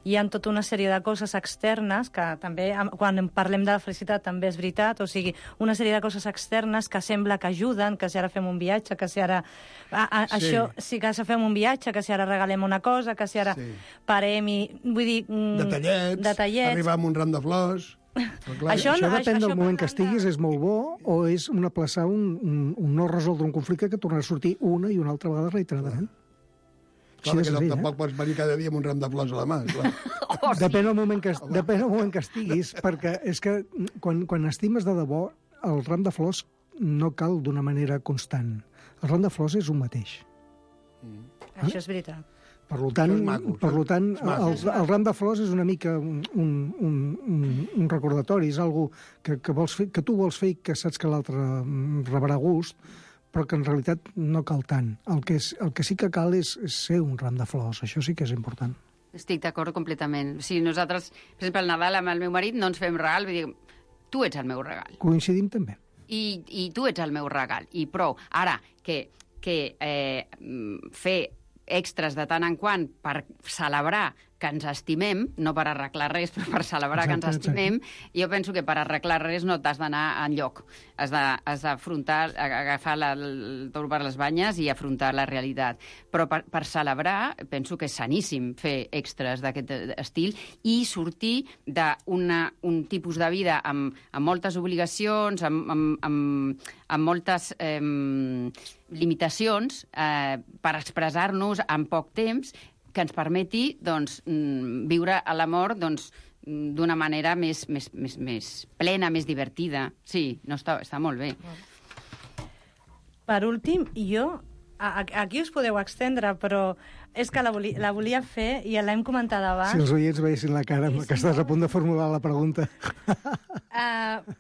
hi ha tota una sèrie de coses externes, que també, quan parlem de la felicitat, també és veritat, o sigui, una sèrie de coses externes que sembla que ajuden, que si ara fem un viatge, que si ara... A, a, sí. Això, sí que si fem un viatge, que si ara regalem una cosa, que si ara sí. parem i... Vull dir... Mm, detallets, detallets, arribar amb un ram de flors... Clar, això, això no, depèn això, del moment que estiguis, és molt bo, o és un aplaçar un, un, un no resoldre un conflicte que tornarà a sortir una i una altra vegada reiteradament. Clar, perquè senzill, tampoc eh? pots venir cada dia amb un ram de flors a la mà. Clar. Oh, sí. Depèn del moment que, depèn del moment que estiguis, perquè és que quan, quan estimes de debò, el ram de flors no cal d'una manera constant. El ram de flors és un mateix. Mm. Eh? Això és veritat. Per tant, maco, per tant el, el ram de flors és una mica un, un, un, un recordatori, és algo que, que, vols fer, que tu vols fer i que saps que l'altre rebrà gust, però que en realitat no cal tant. El que, és, el que sí que cal és, és ser un ram de flors, això sí que és important. Estic d'acord completament. O sigui, nosaltres, per exemple, al Nadal amb el meu marit no ens fem regal, vull dir, tu ets el meu regal. Coincidim també. I, i tu ets el meu regal, i prou. Ara, que, que eh, fer extras de tant en quant per celebrar que ens estimem, no per arreglar res, però per celebrar exacte, que ens estimem, exacte. Jo penso que per arreglar res no t'has d'anar enlloc. Has d'afrontar, agafar la, el toro per les banyes i afrontar la realitat. Però per, per celebrar, penso que és saníssim fer extras d'aquest estil i sortir d'un tipus de vida amb, amb moltes obligacions, amb, amb, amb, amb moltes eh, limitacions eh, per expressar-nos en poc temps, que ens permeti doncs, viure a l'amor doncs, d'una manera més, més, més, més plena, més divertida. Sí, no està, està molt bé. Per últim, jo... Aquí us podeu extendre, però és que la volia, la volia fer i l'hem comentat abans. Si els oients veiessin la cara que estàs a punt de formular la pregunta. Uh,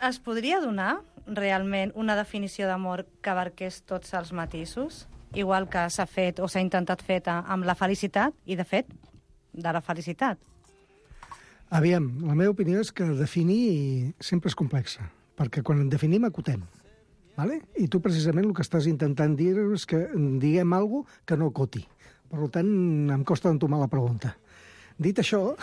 es podria donar realment una definició d'amor que abarqués tots els matisos? Igual que s'ha fet o s'ha intentat fer amb la felicitat, i de fet, de la felicitat. Aviam, la meva opinió és que definir sempre és complexa, perquè quan en definim acotem, vale? I tu precisament el que estàs intentant dir és que diguem alguna cosa que no acoti. Per tant, em costa entomar la pregunta. Dit això...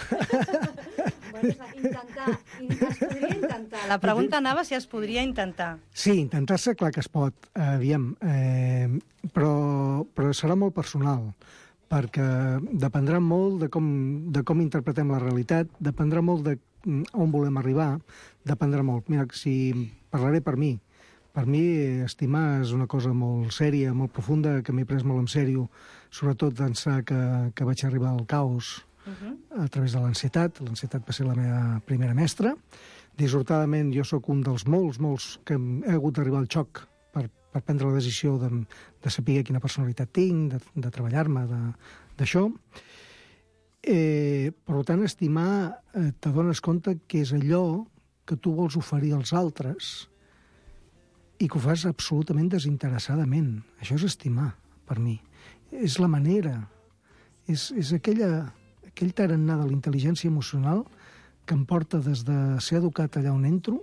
Bueno, intentar, es podria intentar. La pregunta anava si es podria intentar. Sí, intentar-se, clar que es pot, aviam, eh, però, però serà molt personal, perquè dependrà molt de com, de com interpretem la realitat, dependrà molt de on volem arribar, dependrà molt. Mira, si parlaré per mi, per mi estimar és una cosa molt sèria, molt profunda, que m'he pres molt en sèrio, sobretot d'ençà que, que vaig arribar al caos, uh-huh. a través de l'ansietat. L'ansietat va ser la meva primera mestra. Dissortadament, jo sóc un dels molts, molts que he hagut d'arribar al xoc per, per prendre la decisió de, de saber quina personalitat tinc, de, de treballar-me d'això. Eh, per tant, estimar, eh, te dones compte que és allò que tu vols oferir als altres i que ho fas absolutament desinteressadament. Això és estimar, per mi. És la manera, és, és aquella, aquell tarannà de la intel·ligència emocional que em porta des de ser educat allà on entro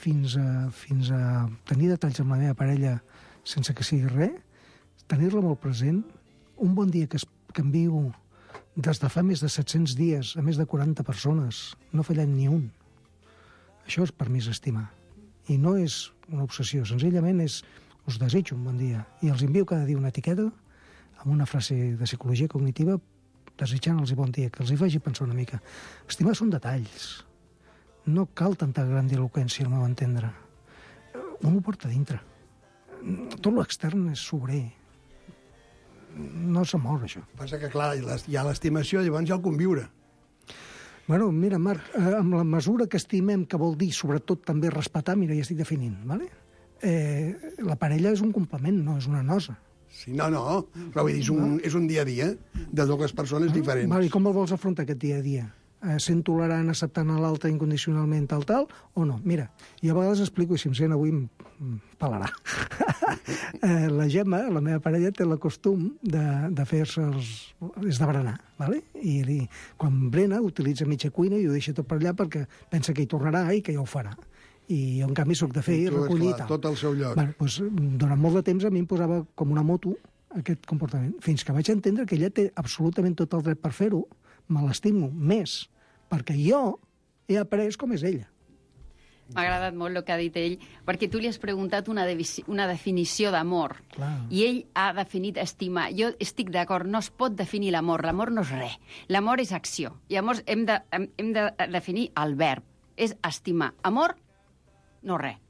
fins a, fins a tenir detalls amb la meva parella sense que sigui res, tenir-la molt present, un bon dia que, es, que em viu des de fa més de set-cents dies a més de quaranta persones, no fallant ni un. Això és per mi és estimar. I no és una obsessió, senzillament és us desitjo un bon dia. I els envio cada dia una etiqueta amb una frase de psicologia cognitiva desitjant-los bon dia, que els hi faci pensar una mica. Estimar són detalls. No cal tanta grandiloquència, al meu entendre. Un ho porta dintre. Tot l'extern és sobrer. No s'amor, això. Passa que, clar, hi ha l'estimació, llavors hi ha el conviure. Bueno, mira, Marc, eh, amb la mesura que estimem, que vol dir, sobretot, també respetar, mira, ja estic definint, ¿vale? Eh, la parella és un complement, no és una nosa. Sí, no, no, però vull dir, és un, és un dia a dia de dues persones ah, diferents. Vale, i com el vols afrontar, aquest dia a dia? Eh, sent tolerant, acceptant a l'altre incondicionalment, tal, tal, o no? Mira, jo a vegades explico, i si em sent avui em pelarà. eh, la Gemma, la meva parella, té el costum de, de fer-se els... és de berenar, ¿vale? I, i quan brena utilitza mitja cuina i ho deixa tot per allà perquè pensa que hi tornarà i que ja ho farà. I jo, en canvi, soc de fer i recollir i tal. Tot al seu lloc. Bueno, doncs, durant molt de temps a mi em posava com una moto aquest comportament, fins que vaig entendre que ella té absolutament tot el dret per fer-ho, me l'estimo més, perquè jo he après com és ella. M'ha agradat molt el que ha dit ell, perquè tu li has preguntat una, una definició d'amor, i ell ha definit estimar. Jo estic d'acord, no es pot definir l'amor, l'amor no és res, l'amor és acció. I llavors hem de, hem, hem de definir el verb, és estimar. Amor, no res.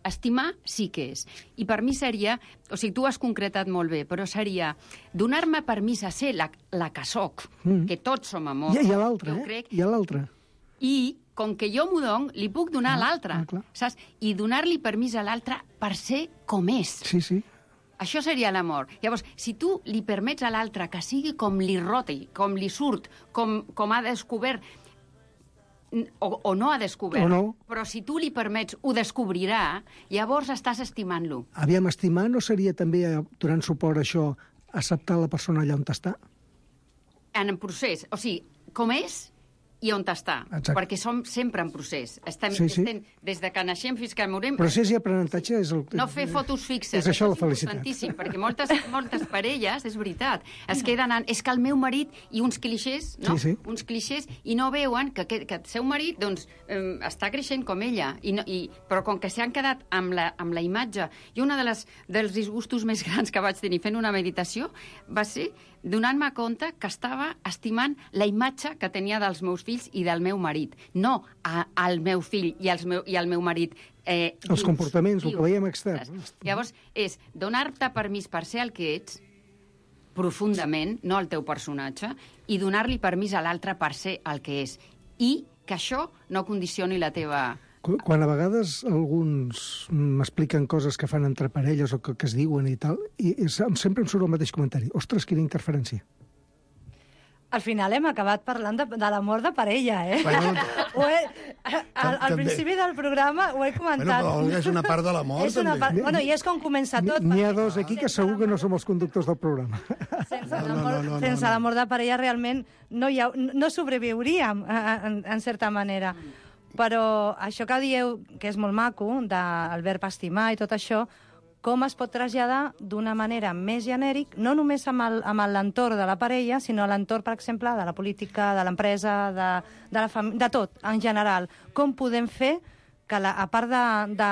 Estimar sí que és. I per mi seria, o sigui, tu ho has concretat molt bé, però seria donar-me permís a ser la, la que soc, mm. que tots som amor. I, i a l'altre, eh? Crec, I a l'altre. I, com que jo m'ho don, li puc donar ah, a l'altre, ah, saps? I donar-li permís a l'altre per ser com és. Sí, sí. Això seria l'amor. Llavors, si tu li permets a l'altre que sigui com li roti, com li surt, com, com ha descobert, o, o no ha descobert, no. Però si tu li permets, ho descobrirà, llavors estàs estimant-lo. Aviam, estimar no seria també, donant suport a això, acceptar la persona allà on està? En procés. O sigui, com és i on està. Exacte. Perquè som sempre en procés. Estem, sí, sí. estem des de que naixem fins que morim. Procés i aprenentatge és el... No fer fotos fixes. És això la és felicitat. Importantíssim, perquè moltes, moltes parelles, és veritat, es queden en... És que el meu marit i uns clixés, no? Sí, sí. Uns clixés, i no veuen que, que, que el seu marit, doncs, eh, està creixent com ella. I no, i, però com que s'han quedat amb la, amb la imatge... I una de les, dels disgustos més grans que vaig tenir fent una meditació va ser donant-me compte que estava estimant la imatge que tenia dels meus fills i del meu marit, no a, al meu fill i, als meu, i al meu marit. Eh, els dius, comportaments, dius, el que veiem extern. Llavors, és donar-te permís per ser el que ets, profundament, no el teu personatge, i donar-li permís a l'altre per ser el que és. I que això no condicioni la teva... Quan a vegades alguns m'expliquen coses que fan entre parelles o que, que es diuen i tal, i, i sempre em surt el mateix comentari. Ostres, quina interferència. Al final hem acabat parlant de, de l'amor de parella, eh? Bueno, ho he, al, al principi del programa ho he comentat. Bueno, però és una part de l'amor, també. Part, bueno, i és com comença tot. N'hi ha dos aquí que segur que no som els conductors del programa. Sense l'amor no, no, no, no, no. de parella realment no, hi ha, no sobreviuríem, en, en certa manera. Però això que dieu, que és molt maco, del verb estimar i tot això, com es pot traslladar d'una manera més genèric, no només amb l'entorn de la parella, sinó a l'entorn, per exemple, de la política, de l'empresa, de, de, la fam... de tot, en general. Com podem fer que, la, a part de... de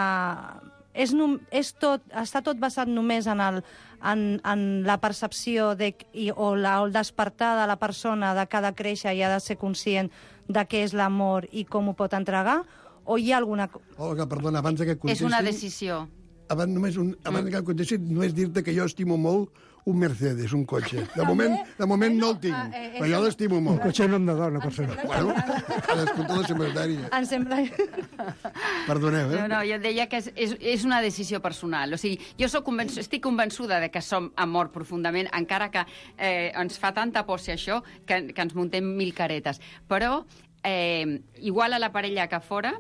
és, no, és tot, està tot basat només en, el, en, en la percepció de, i, o, la, o el despertar de la persona de que ha de créixer i ha de ser conscient de què és l'amor i com ho pot entregar, o hi ha alguna... Olga, perdona, abans que contesti... És una decisió. abans, només un, abans que em contestis, només dir-te que jo estimo molt un Mercedes, un cotxe. De moment, de moment no el tinc, però jo l'estimo molt. Un cotxe nom de dona, per fer. Bueno, cadascú té la secretària. Em sembla... Perdoneu, eh? No, no, jo deia que és, és, és una decisió personal. O sigui, jo soc convençu, estic convençuda de que som amor profundament, encara que eh, ens fa tanta por ser això que, que ens muntem mil caretes. Però, eh, igual a la parella que fora,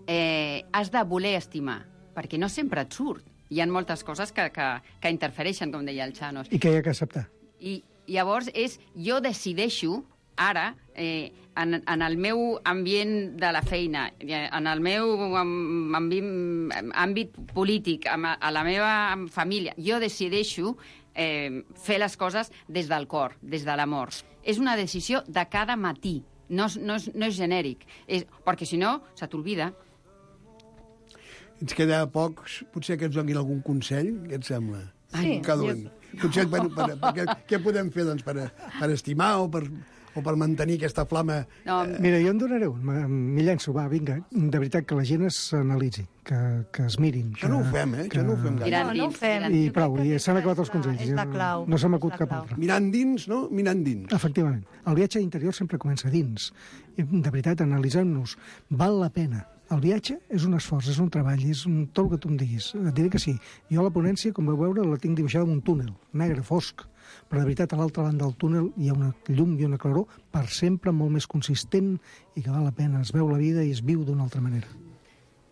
eh, has de voler estimar, perquè no sempre et surt. Hi ha moltes coses que, que, que interfereixen, com deia el Chanos. I que hi ha que acceptar. I llavors és, jo decideixo, ara, eh, en, en el meu ambient de la feina, en el meu àmbit, àmbit polític, a la meva família, jo decideixo eh, fer les coses des del cor, des de l'amor. És una decisió de cada matí, no, no, és, no és genèric, és, perquè si no, se t'olvida. Ens queda pocs, potser que ens donin algun consell, què et sembla? Sí. Cada un. Consell per, per, per, per, què podem fer doncs, per, per estimar o per, o per mantenir aquesta flama? No. Mira, jo en donaré un, m'hi llenço, va, vinga. De veritat, que la gent s'analitzi, que, que es mirin. Que, això no ho fem, eh? Que, això no ho fem gaire. No, no ho fem. I prou, i s'han acabat els consells. És la clau. No se m'acut cap altre. Mirant dins, no? Mirant dins. Efectivament. El viatge interior sempre comença dins. I, de veritat, analitzem-nos. Val la pena. El viatge és un esforç, és un treball, és un, tot el que tu em diguis. Et diré que sí. Jo la ponència, com vau veure, la tinc dibuixada en un túnel, negre, fosc. Però de veritat, a l'altra banda del túnel hi ha una llum i una claror per sempre molt més consistent i que val la pena. Es veu la vida i es viu d'una altra manera.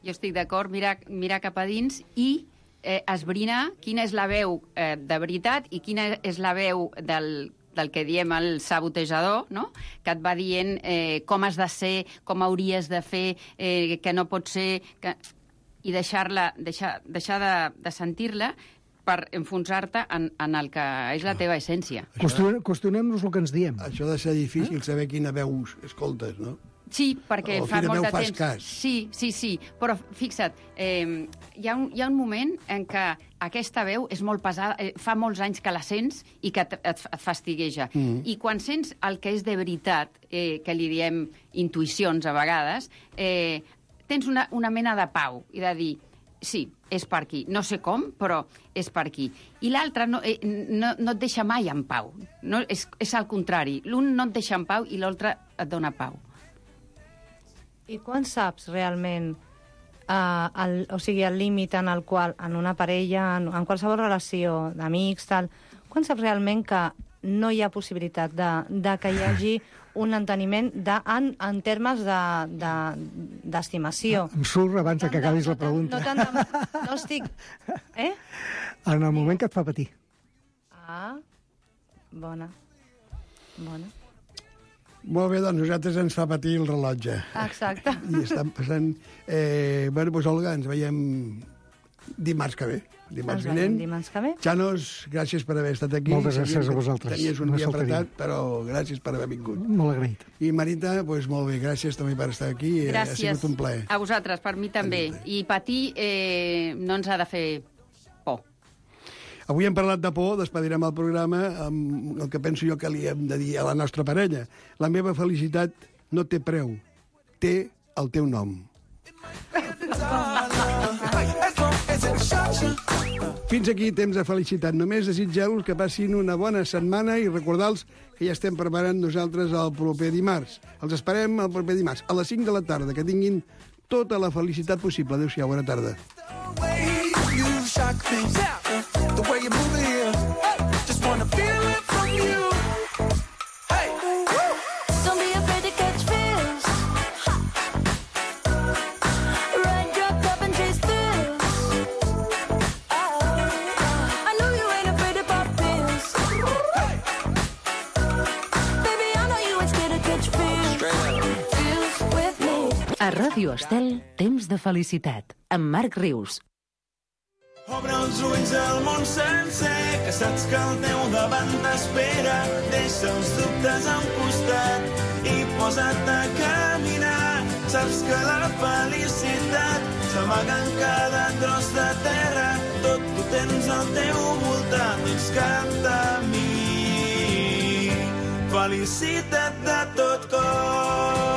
Jo estic d'acord, mirar, mirar cap a dins i eh, esbrinar quina és la veu eh, de veritat i quina és la veu del del que diem el sabotejador, no? Que et va dient eh, com has de ser, com hauries de fer, eh, que no pot ser... Que... I deixar-la, deixar, deixar de, de sentir-la per enfonsar-te en, en el que és la teva essència. Qüestionem-nos el que ens diem. Això ha de ser difícil, eh? Saber quina veu escoltes, no? Sí, perquè o fa molt de temps. Cas. Sí, sí, sí. Però fixa't, eh, hi, ha un, hi ha un moment en què aquesta veu és molt pesada, eh, fa molts anys que la sents i que et, et, et fastigueja. Mm. I quan sents el que és de veritat, eh, que li diem intuïcions a vegades, eh, tens una, una mena de pau i de dir, sí, és per aquí. No sé com, però és per aquí. I l'altre no, eh, no, no et deixa mai en pau. No, és, és al contrari. L'un no et deixa en pau i l'altre et dona pau. I quan saps realment uh, el, o sigui, el límit en el qual, en una parella, en, en qualsevol relació d'amics, tal, quan saps realment que no hi ha possibilitat de, de que hi hagi un enteniment de, en, en termes d'estimació? De, em surt abans que acabis la pregunta. No, tant, no, tant, no estic... Eh? En el moment que et fa patir. Ah, bona. Bona. Molt bé, doncs nosaltres ens fa patir el rellotge. Exacte. I estan passant... Eh, bueno, doncs, Olga, ens veiem dimarts que ve. Dimarts vinent. Dimarts que ve. Xanos, gràcies per haver estat aquí. Moltes gràcies a vosaltres. Tenies un no dia apretat, però gràcies per haver vingut. Molt agraït. I Marita, doncs molt bé, gràcies també per estar aquí. Gràcies. Ha sigut un plaer. A vosaltres, per mi també. I patir eh, no ens ha de fer por. Avui hem parlat de por, despedirem el programa amb el que penso jo que li hem de dir a la nostra parella. La meva felicitat no té preu, té el teu nom. Fins aquí temps de felicitat. Només desitgeu-vos que passin una bona setmana i recordar-los que ja estem preparant nosaltres el proper dimarts. Els esperem el proper dimarts, a les cinc de la tarda. Que tinguin tota la felicitat possible. Adéu-siau, bona tarda. The way you move it here, just wanna feel it from you. Hey, don't be afraid to catch feels. Ride your cup and chase thrills. I know you ain't afraid to pop pills. Baby, I know you ain't scared to catch feels. Feels with me. A Ràdio Estel, temps de felicitat, amb Marc Rius. Obre els ulls al món sencer, que saps que el teu davant t'espera. Deixa els dubtes a un costat i posa't a caminar. Saps que la felicitat s'amaga en cada tros de terra. Tot ho tens al teu voltant, doncs canta a mi. Felicita't de tot cor.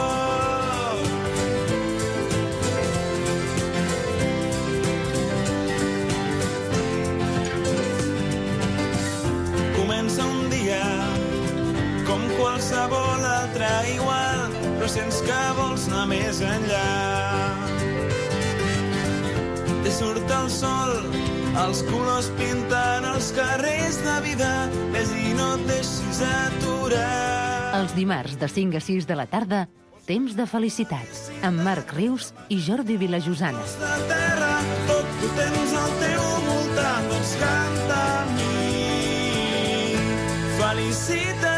sents que vols anar més enllà. Te surt el sol, els colors pintant els carrers de vida, ves i no et deixis aturar. Els dimarts de cinc a sis de la tarda, Temps de felicitats, amb Marc Rius i Jordi Vilajosana. De terra, tot ho tens al teu voltant, doncs canta amb mi. Felicitats.